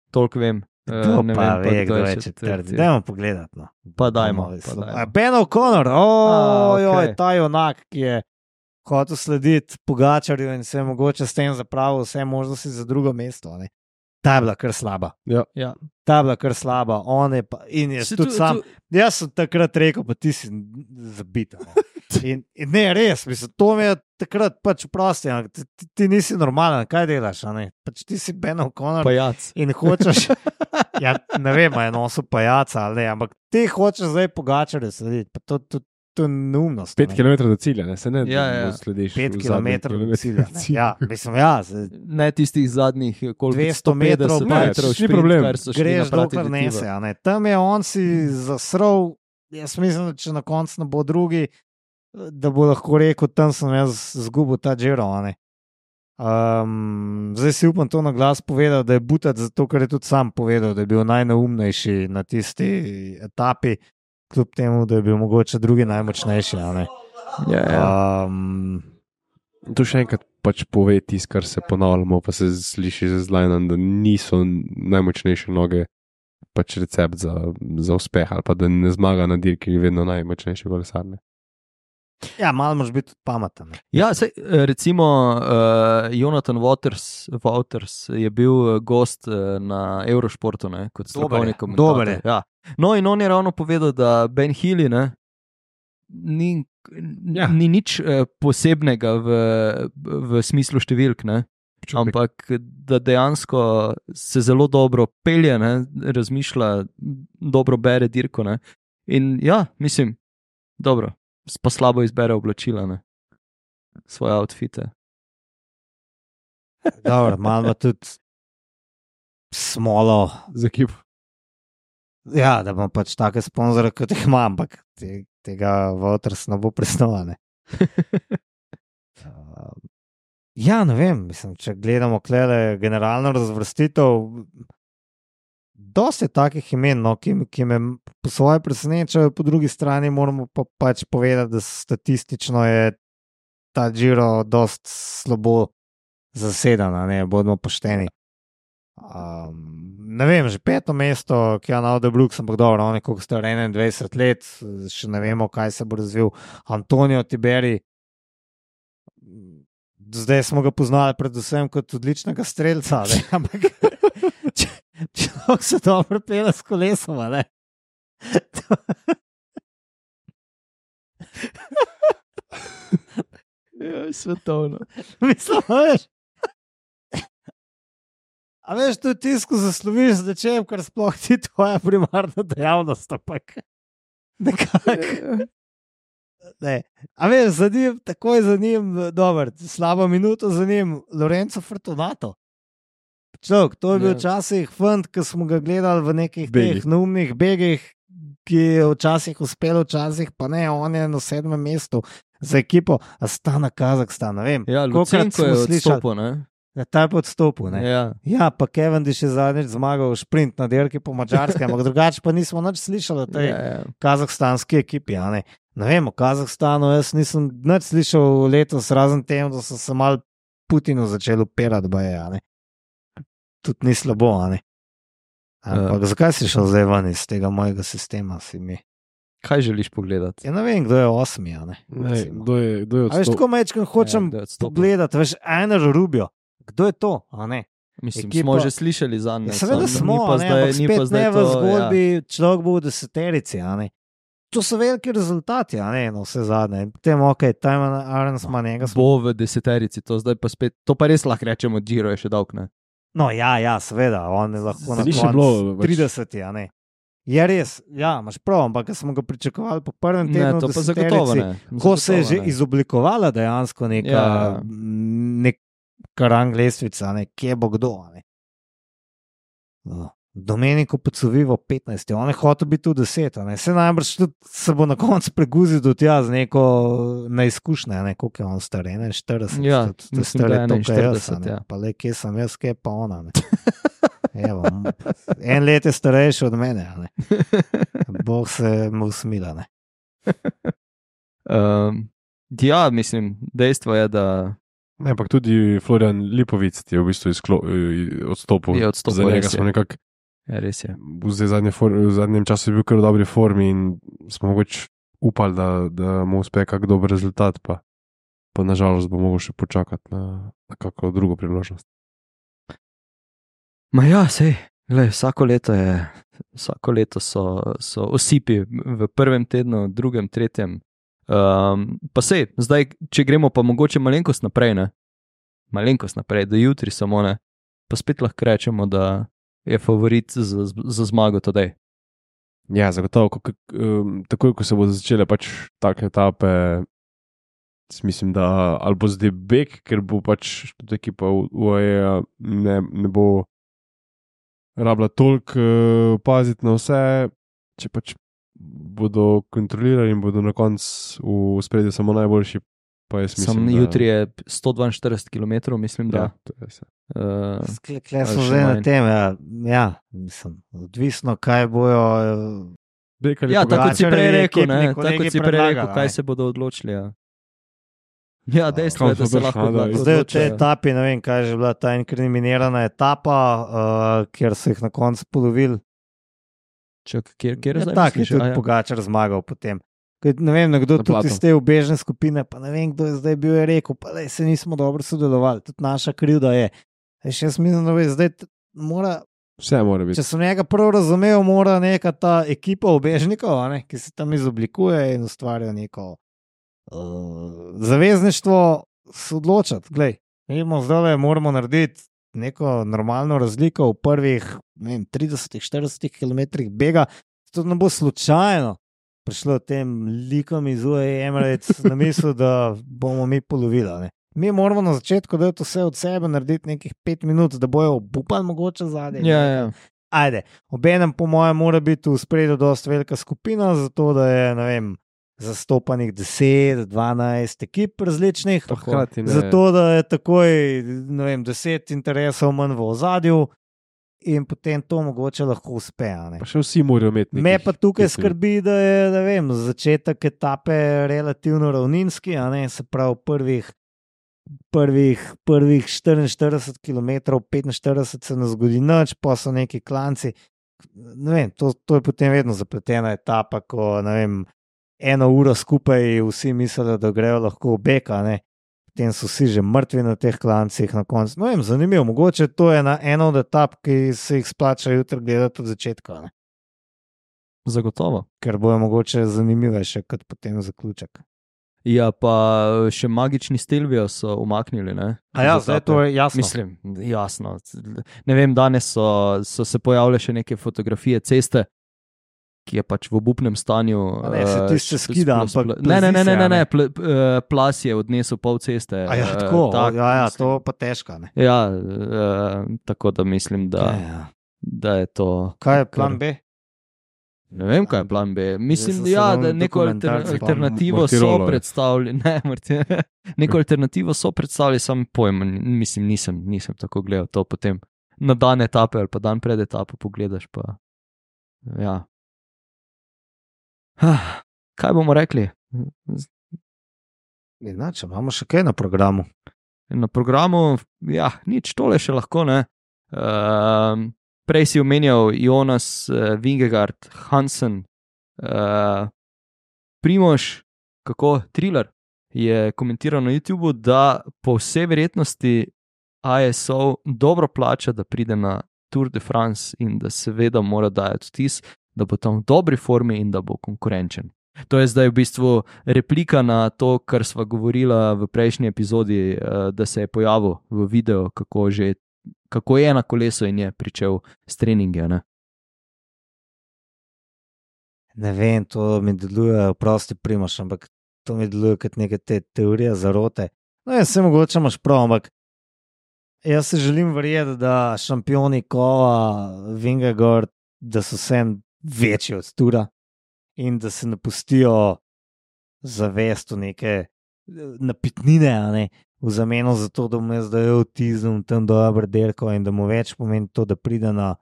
Toliko vem. Eh, To ne pa vem ve, kdo je četrti. Dajmo pogledati. No. Pa dajmo, Bomo pa vislo- dajmo. A, Ben O'Connor, A, ojoj, okej. ta junak, ki je hotel slediti Pogačarju in se je mogoče s tem zapravil vse možnosti za drugo mesto. Ne. Ta je bila kar slaba. Ja. Ja. Ta je bila kar slaba. On je pa, in je Se tudi tu- sam. tu- Jaz sem takrat rekel, pa ti si zabit. a ne. In, in ne, res, mislim, to mi je takrat pač prosti, ampak ti, ti, ti nisi normalen, kaj delaš, a ne? Pač ti si Ben O'Connor Pajac. in hočeš, ja, ne vem, a je nosil pajaca ali ne, ampak ti hočeš zdaj Pogačarju slediti, pa to, to, to je neumnost. a Pet ne. kilometrov do cilja, ne se ne Ja, ja. slediš. Pet v zadnjem kilometrov do kilometru cilja. do ne. cilja. Ja, mislim, ja, se, Ne tistih zadnjih, koliko dvesto metrov, sto petdeset ne, metrov, ni šprint, problem. kar so šli greš naprati dokler do nese. Tiba. a ne. Tam je on si zasrl, jaz mislim, da če na koncu ne bo drugi, da bo lahko rekel, tam sem jaz zgubil ta Giro. a ne. Um, zdaj si upam to na glas povedal, da je Butat zato, ker je tudi sam povedal, da je bil najneumnejši na tisti etapi, kljub temu, da je bil mogoče drugi najmočnejši. a ne. Ja, ja. Um, To še enkrat pač pove tisto, kar se ponavljamo, pa se sliši z zlajnom, da niso najmočnejše noge pač recept za, za uspeh, ali pa da ne zmaga na dirki vedno najmočnejši kolesar. ja, malo moraš biti tudi pameten. ne. Ja, sej, recimo uh, Jonathan Waters, Waters je bil gost uh, na Eurošportu ne, kot strokovni komentator. dober je. Ja. No in on je ravno povedal, da Ben Healy ne, ni, ja. ni nič uh, posebnega v, v smislu številk, ne, ampak da dejansko se zelo dobro pelje, ne, razmišlja, dobro bere dirko. Ne. In ja, mislim, dobro. Pa slabo izbere oblačila, ne? Svoje outfite. Dobro, malo ima tudi smolo. Za ekipo. Ja, da bom pač take sponzore, kot jih imam, ampak te, tega Waters ne bo presnovane. uh, ja, ne vem, mislim, če gledamo klele generalno razvrstitev, dosti je takih imen, no, ki, ki me po svoje presenečajo, po drugi strani moramo pa pač povedati, da statistično je ta Giro dost slabo zaseden, ne, bodimo pošteni. Um, ne vem, že peto mesto, ki je na Ode Brooks, ampak dobro, on je koliko star enaindvajset let, še ne vemo, kaj se bo razvil. Antonio Tiberi, zdaj smo ga poznali predvsem kot odličnega strelca, ne, ampak človek se dobro pele s kolesom, ne. Ja, svetovno. Mislim, veš, a veš, to je tisko zasloviš z nečem, kar sploh ti tvoja primarna dejavnost, ampak nekako. Ne. A veš, za njim, takoj za njim, dober, slabo minuto za njim, Lorenzo Fortunato. Človek, to je bil včasih fant, ki smo ga gledali v nekih Begih. teh neumnih begih, ki je včasih uspel, včasih pa ne, on je na sedmem mestu za ekipo Astana Kazahstan, ne vem. Ja, kolikokrat Lucenko je smo slišali- odstopil, ne? Ja, ta je pa odstopil, ne. Ja. Ja, pa Cavendish je zadnjič zmagal šprint na dirki po Madžarske, ampak drugače pa nismo nič slišali o tej Ja, ja. kazahstanski ekipi. A ne. Ne vem, o Kazahstanu jaz nisem nič slišal letos, razen tem, da so se mal Putinu začeli upirati, baje, a ne. Tudi ni slabo, a ne. Ampak uh. zakaj si šel zdaj ven iz tega mojega sistema, si mi? Kaj želiš pogledati? Ja, ne vem, kdo je osmi, a ne. Ne, Recimo. kdo je, kdo je A veš, odstopil? tako mečkam hočem Ja, kdo je odstopil? pogledati, veš, Einer Rubio. Kdo je to, a ne? Mislim, Ekipa- smo že slišali za Ja, njega. seveda smo, a ne, ampak spet ne v zgodbi, ja. Človek bo v deseterici, a ne. To so veliki rezultati, a ne, no vse zadnje. Potem, ok, Timon Arens ima njega. smo- Bo v deseterici, to zdaj pa spet, to pa res lahko rečemo, Giro je še dolg, ne? No, ja, ja, seveda, on je lahko na Ni še koncu bilo več- trideseti, a ne. Je res, ja, imaš prav, ampak ko smo ga pričakovali po prvem Ne, tednu, to v pa zagotovo deseterici, ne. ko se je že Zagotovo ne. izoblikovala dejansko neka, Ja. neka rang lestvica, ne, kje bo kdo. a Ne. No. Domenico Pacovivo petnajst, on je hotel biti v deset, a ne. Se najbrž tudi se bo na koncu preguzil do tja z neko neizkušnjo, ne, koliko je on star, enainštirideset, Ja, tudi- tudi mislim, star da je toliko kot jaz, a enainštirideset, ne. ja. Pa le, kje sem jaz, kje pa ona. Ne. Evo, en let je starejši od mene, a ne. Bog se mu usmila, ne. Um, ja, mislim, dejstvo je, da Ne, ampak tudi Florian Lipovic ti je v bistvu izklo, eh, odstopil. Je odstopil, Za njega res je. smo nekako ja, res je. v zdaj zadnje for, v zadnjem času je bil kar v dobri formi in smo mogoče upali, da, da mu uspe kak dober rezultat, pa, pa nažalost bo mogel še počakati na, na kakšno drugo priložnost. Ma ja, sej, glej, vsako leto je, vsako leto so, so osipi v prvem tednu, drugem, tretjem. Um, pa sej, zdaj, če gremo pa mogoče malenkost naprej, ne? Malenkost naprej, do jutri samo ne, pa spet lahko rečemo, da je favorit za, za zmago todej. Ja, zagotovo, ko, um, takoj ko se bodo začele pač take etape, mislim, da ali bo zdaj beg, ker bo pač tudi ekipa U A E ne, ne bo rabila toliko uh, paziti na vse, če pač bodo kontrolirali in bodo na koncu v spredju samo najboljši, Pa jaz Sam mislim, da... jutri je sto dvainštirideset kilometrov, mislim, da. Ja, to je vse. Uh, Skle, kle smo ali še zdaj na manj. tem, ja, ja mislim, odvisno, kaj bojo. Bekali ja, tako kot si Pogačarjevi prej rekel, ekipni ne, kolegi tako kot si prej predlagali, rekel, kaj ne. se bodo odločili. Ja, ja dejstvo je, da se Kam so lahko prišli, da odločijo. Zdaj v tej etapi, ne vem, kaj je že bila ta inkriminirana etapa, uh, kjer so jih na koncu polovili. Čak, kjer, kjer je Ja, zdaj tak je misliš? tudi A, ja. Pogačar zmagal potem. Kaj, ne vem, nekdo Na tudi Platu. iz te ubežne skupine, pa ne vem, kdo je zdaj bil je rekel, pa da se nismo dobro sodelovali, tudi naša krivda je. Ej, še jaz mislim, da je zdaj t- mora, Vse mora biti. če sem njega prav razumel, mora neka ta ekipa ubežnikov, a ne, ki se tam izoblikuje in ustvarja neko uh, zavezništvo, se odločati. Glej, imamo zdaj, moramo narediti neko normalno razliko v prvih ne vem, trideset do štirideset kilometrih bega. To ne bo slučajno prišlo tem likom iz U A E Emirates na misel, da bomo mi polovili. a ne. Mi moramo na začetku dati vse od sebe, narediti nekih pet minut, da bojo obupali mogoče zadnje. Ja, ja. Ajde, obenem po mojem mora biti v spredju dosta velika skupina, zato da je, ne vem, zastopanih deset, dvanajst ekip različnih. Pa hkrati ne. Zato da je takoj, ne vem, deset interesov manj v ozadju in potem to mogoče lahko uspe. a ne. Pa še vsi morajo imeti nekih Me pa tukaj pet minut. skrbi, da je ne vem, začetek etape relativno ravninski, a ne, se pravi prvih, prvih, prvih štiriinštirideset kilometrov, petinštirideset se ne zgodi nič, pa so neki klanci. Ne vem, to, to je potem vedno zapletena etapa, ko ne vem, eno uro skupaj vsi mislijo, da grejo lahko v bek, a ne. Potem so vsi že mrtvi na teh klancih na koncu. No, vem, zanimivo, mogoče to je na eno od etap, ki se jih splača jutri gledati od začetka, a ne. Zagotovo. Ker bojo mogoče zanimivejše kot potem zaključek. Ja, pa še magični Stelvijo so umaknili. Ne? A ja, Iz zdaj etape. to je jasno. Mislim, jasno. Ne vem, danes so, so se pojavile še neke fotografije ceste, ki je pač v obupnem stanju. A ne, se eh, tišče s- skida, s- ampak Ne, ne, ne, plazi ne, se, ne, a ne. ne. Pl, eh, plas je odnesel pol ceste. A ja, eh, tako, tak, ja, ja, mislim. to pa težko, ne. Ja, eh, tako da mislim, da, Ja, ja. da je to. Kaj je plan B? Ne vem, kaj je plan B. Mislim, sem da, se ja, ravno da neko alter, dokumentarce spomnil. alternativo so Mortirolo je. predstavili. Ne, Marti- neko alternativo so predstavili, sam pojma, ni- mislim, nisem, nisem tako gledal to potem. Na dan etape ali pa dan pred etapo pogledaš. Pa, ja. Ah, kaj bomo rekli? Inače, imamo še kaj na programu. Na programu, ja, nič, tole še lahko ne. Um, prej si omenjal Jonas, uh, Vingegaard, Hansen, uh, Primož, kako Thriller je komentiral na YouTubu, da po vsej verjetnosti I S O dobro plača, da pride na Tour de France in da seveda mora dajati vtis, da bo tam v dobri formi in da bo konkurenčen. To je zdaj v bistvu replika na to, kar sva govorila v prejšnji epizodi, eh, da se je pojavil v videu, kako, že, kako je na kolesu in je pričel s treningi. Ne? Ne vem, to mi deluje, prosti Primož, ampak to mi deluje kot neke te teorije zarote. No, jaz se mogoče imaš prav, ampak jaz se želim verjeti, da šampioni Kova, Vingegaard, da so vsem večji od Tura in da se ne pustijo zavest v neke eh, napitnine, a ne, v zameno za to, da mu je zdaj avtizem tam dober derko in da mu več pomeni to, da pride na,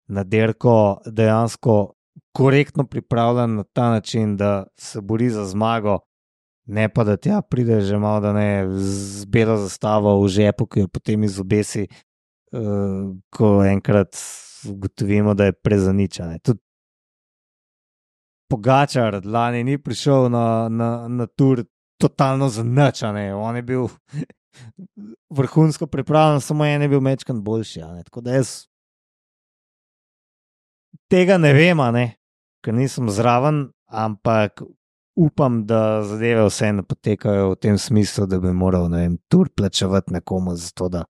na derko dejansko korektno pripravljen na ta način, da se bori za zmago, ne pa da tja pride že malo, da ne z belo zastavo v žepu, ki jo potem izobesi, uh, ko enkrat ugotovimo, da je prezaničen. Tudi Pogačar lani ni prišel na, na, na tur totalno zanačan, on je bil vrhunsko pripravljen, samo en je bil mečkan boljši. a ne. Tako da jaz tega ne vem, a ne, ker nisem zraven, ampak upam, da zadeve vse ne potekajo v tem smislu, da bi moral, ne vem, tur plačevati nekomu za to, da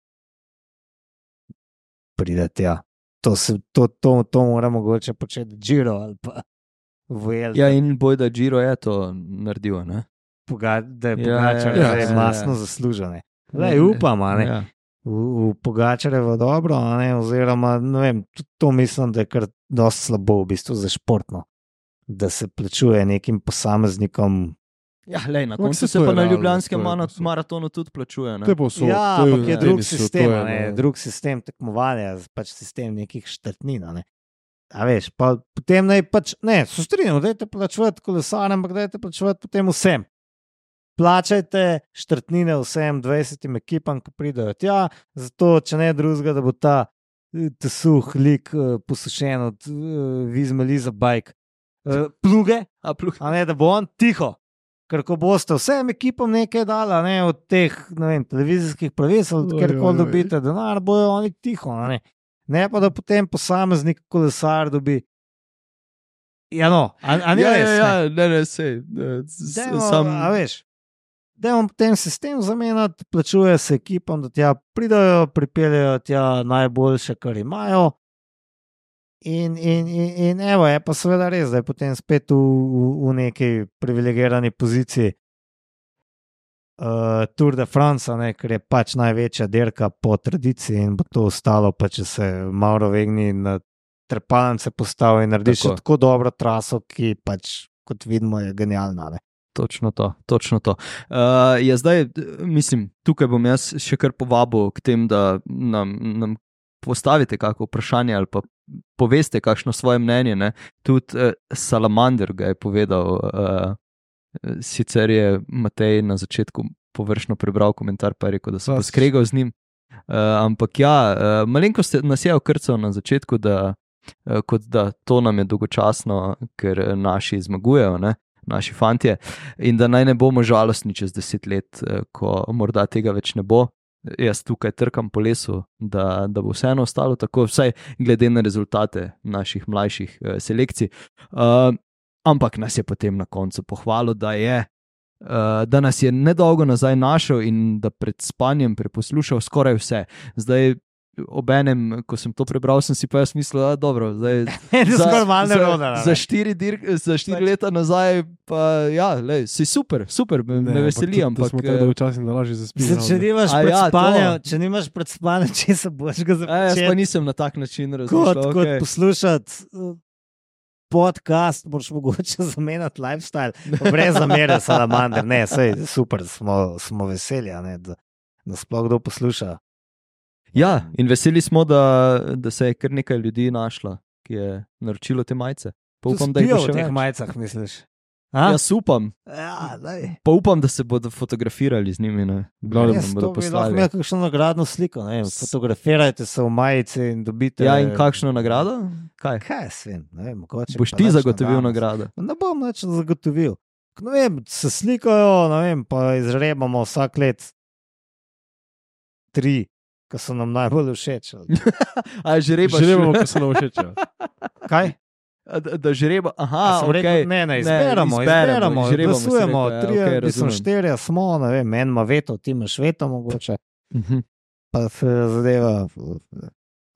pride tja. To, se, to, to, to mora mogoče početi Giro ali pa Vuelta. Ja, in boj, da Giro je to naredil. Ne? Poga, da je Ja, Pogačar ja, ja, ja, masno ja. zaslužen. Lej, upam, a ne. Ja. V, v Pogačarevo dobro, a ne, oziroma ne vem, tudi to mislim, da je kar dosti slabo v bistvu za športno, da se plačuje nekim posameznikom Ja, lej, na Ampak koncu saj se to je pa na realno, Ljubljanskem to je mano- povsod. maratonu tudi plačuje. Ne? To je povsod. Ja, to je ampak je v drug tenisu, sistem, to je, a ne, no. drug sistem tekmovanja, pač sistem nekih štartnin. a Ne. A veš, pa potem naj pač, ne, so strinjamo, dajte plačevati kolesarjem, ampak dajte plačevati potem vsem. Plačajte štartnine vsem dvajsetim ekipam, ki pridejo tja, zato, če ne drugega, da bo ta eh, ta suh lik eh, posušen od uh, Vizmeliza Bike uh, pluge, A, pluh. a ne, da bo on tiho. Ker ko boste vsem ekipam nekaj dali, a ne, od teh ne vem, televizijskih pravic, ali Oj, kjer oj, koli oj. dobite denar, bojo oni tiho. a Ne. ne pa da potem posameznik kolesar dobi. Ja, no, a, a ne Ja, res. ja, ne. ja, ne, ne, sej. eh, s- Dajmo, Sam, a veš, dajmo potem sistem zamenjati, plačuje se ekipam, da tja pridajo, pripeljejo tja najboljše, kar imajo. In, in, in, in evo, je pa seveda res, da je potem spet v, v, v neki privilegirani poziciji uh, Tour de France, a ne, ker je pač največja dirka po tradiciji in bo to ostalo, pa če se Mauro Vegni na trepalnice postavi in naredi še Tako. tako dobro traso, ki pač, kot vidimo, je genialna. Ne. Točno to, točno to. Uh, je zdaj, eh, mislim, tukaj bom jaz še kar povabil k tem, da nam, nam postavite kakšno vprašanje ali pa poveste kakšno svoje mnenje. Ne? Tudi uh, Salamander ga je povedal, uh, sicer je Matej na začetku površno prebral komentar, pa je rekel, da se bo Klasič. skregal z njim. Uh, ampak ja, uh, malenkost nas je okrcal na začetku, da, uh, kot da to nam je dolgočasno, ker eh, naši zmagujejo, ne? Naši fantje, in da naj ne bomo žalostni čez deset let, eh, ko morda tega več ne bo. Jaz tukaj trkam po lesu, da, da bo vseeno ostalo tako, vsaj glede na rezultate naših mlajših eh, selekcij. Uh, ampak nas je potem na koncu pohvalil, da, je, uh, da nas je nedolgo nazaj našel in da pred spanjem preposlušal skoraj vse. Zdaj, obenem, ko sem to prebral, sem si pa jaz mislil, da je dobro. Zdaj, Za, skoraj malo za, nerodno. za štiri, dir, za štiri Pač- leta nazaj, pa ja, lej, si super, super, me, me veseli, Da ampak. smo tako eh, dolgočasni, da lažje zaspimo. Če nimaš A pred ja, to. spanjem, če nimaš pred spanjem, če se boš ga A, jaz pa započel. nisem na tak način Kot, razmišljal. kot Okay. poslušati uh, podcast, moraš mogoče zamenjati lifestyle. Pa brez zamere, salamander, ne, sej, super, smo, smo veseli, a ne, da nas sploh kdo posluša. Ja, in veseli smo, da, da se je kar nekaj ljudi našla, ki je naročilo te majice. Pa upam, da jih bo v še teh več. majicah, misliš? A? Jaz upam, Ja, daj. pa upam, da se bodo fotografirali z njimi. Ne? Glavnem, Da Res, nam to bodo bi lahko poslali. imel kakšno nagradno sliko, ne vem, fotografirajte se v majici in dobite. Ja, in kakšno nagrado? Kaj? Kaj jaz vem, ne vem, mogoče. Boš pa ti nič zagotovil danes. nagrado? Ne bom več zagotovil. Ne vem, se slikajo, ne vem, pa izrebamo vsak let tri, ki so nam najbolj všeč. A žrebaš? Želimo, ko se nam všeč. Kaj? A Da, da žreba, A aha, sem ok. rekel, ne, ne, izberemo, izberemo, izžrebamo, si glasujemo, rekel, ja, trije, okej, mislim, razumem. štirje smo, ne vem, en ima veto, ti imaš veto mogoče, Mhm. pa se zadeva.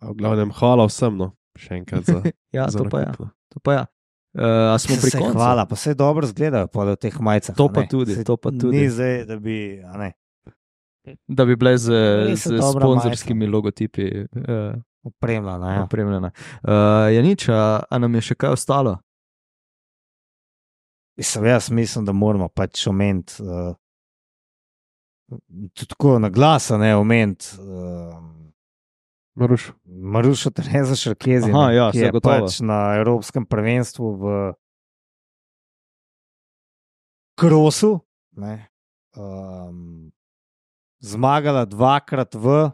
V glavnem, hvala vsem, no. Še enkrat za, Ja, za to pa ja. nakup, no. To pa ja. Uh, a smo pri Se koncu? hvala, pa se dobro zgledajo pa v teh majicah. To a pa ne. tudi, Saj to pa tudi. Ni zdaj, da bi, a ne, Da bi bile z, Res je z dobra sponzorskimi logotipi uh, opremljena. Ja. opremljene. Uh, ja, nič, a, a nam je še kaj ostalo? Mislim, jaz mislim, da moramo pač omeniti, uh, tudi tako na glas, a ne omeniti. Uh, Maruš, Marušo Terezo Šarkezi, Aha, ne, ja, ki je zagotovo. pač na Evropskem prvenstvu v krosu ne, um, zmagala dvakrat v,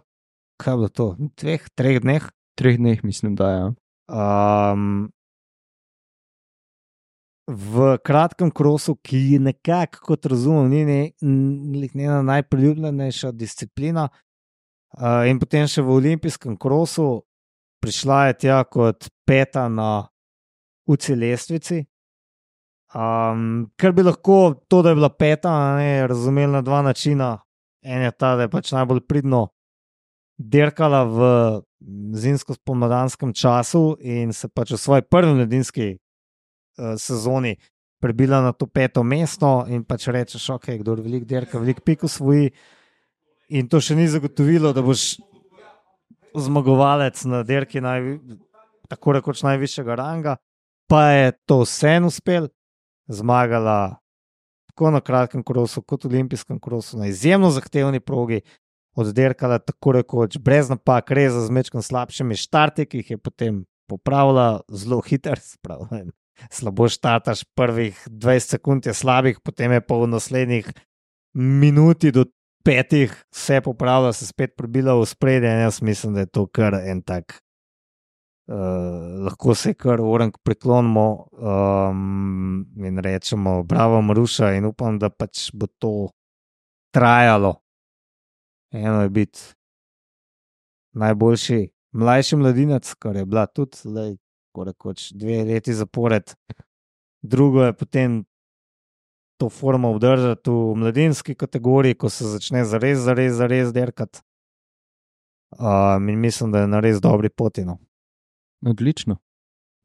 kaj je bilo to, dveh, treh dneh. Treh dneh, mislim, da je. Ja. Um, v kratkem krosu, ki je nekako, kot razumem, ni ne, n- njena najpriljubljenejša disciplina, uh, in potem še v olimpijskem krosu prišla je tja kot peta na U C I lestvici. Um, ker bi lahko to, da je bila peta, a ne, razumeli na dva načina. En je ta, da je pač najbolj pridno dirkala v zimsko-spomladanskem času in se pač v svoji prvi mladinski uh, sezoni prebila na to peto mesto in pač rečeš, ok, kdo veliko dirka, veliko pik osvoji. In to še ni zagotovilo, da boš zmagovalec na dirki naj, tako rekoč najvišjega ranga, pa je to vseeno uspel, zmagala tako na kratkem krosu, kot olimpijskem krosu, na izjemno zahtevni progi, odderkala tako rekoč, brez napak, res z mečkom slabšimi štarti, ki jih je potem popravila zelo hiter, spravi. Slabo štartaš, prvih dvajset sekund je slabih, potem je pa v naslednjih minuti do petih vse popravila, se spet prebila v spredje in jaz mislim, da je to kar en tak, uh, lahko se kar orenk priklonimo um, in rečemo bravo Maruša in upam, da pač bo to trajalo. Eno je biti najboljši mlajši mladinec, kar je bila tudi lej, rekoč, dve leti zapored. Drugo je potem to formo obdržati v mladinski kategoriji, ko se začne zares, zares, zares derkati. Um, in mislim, da je na res dobri poti. No. Odlično.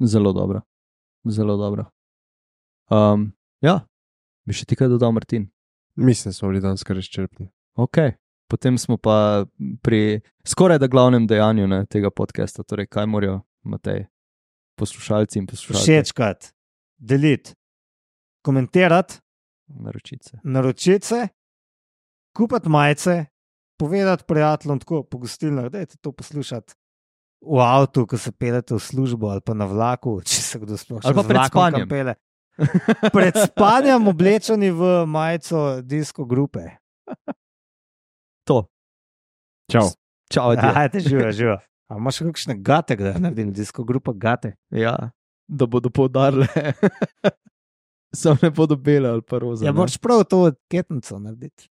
Zelo dobro. Zelo dobro. Um, ja, bi še ti kaj dodal, Martin? Mislim, da smo bili danes kar izčrpni. Ok. Potem smo pa pri skoraj da glavnem dejanju ne, tega podcasta, torej kaj morajo, Matej, poslušalci in poslušalci. Všečkat, deliti, komentirati, naročice, naročice, kupiti majice, povedati prijateljem tako po gostilnah, dajte to poslušati v avtu, ko se pelete v službo ali pa na vlaku, če se kdo sploh še ali pa z pred vlakom spanjem. kam pele. Pred spanjem oblečeni v majico disko grupe. To. Čau. Čau, adijo. Ajde, živa, živa. A imaš še kakšne gate, da naredim disko grupa gate? Ja, da bodo poudarile. Sam ne bodo bele ali pa roza. Ja, moraš prav to ketnico narediti.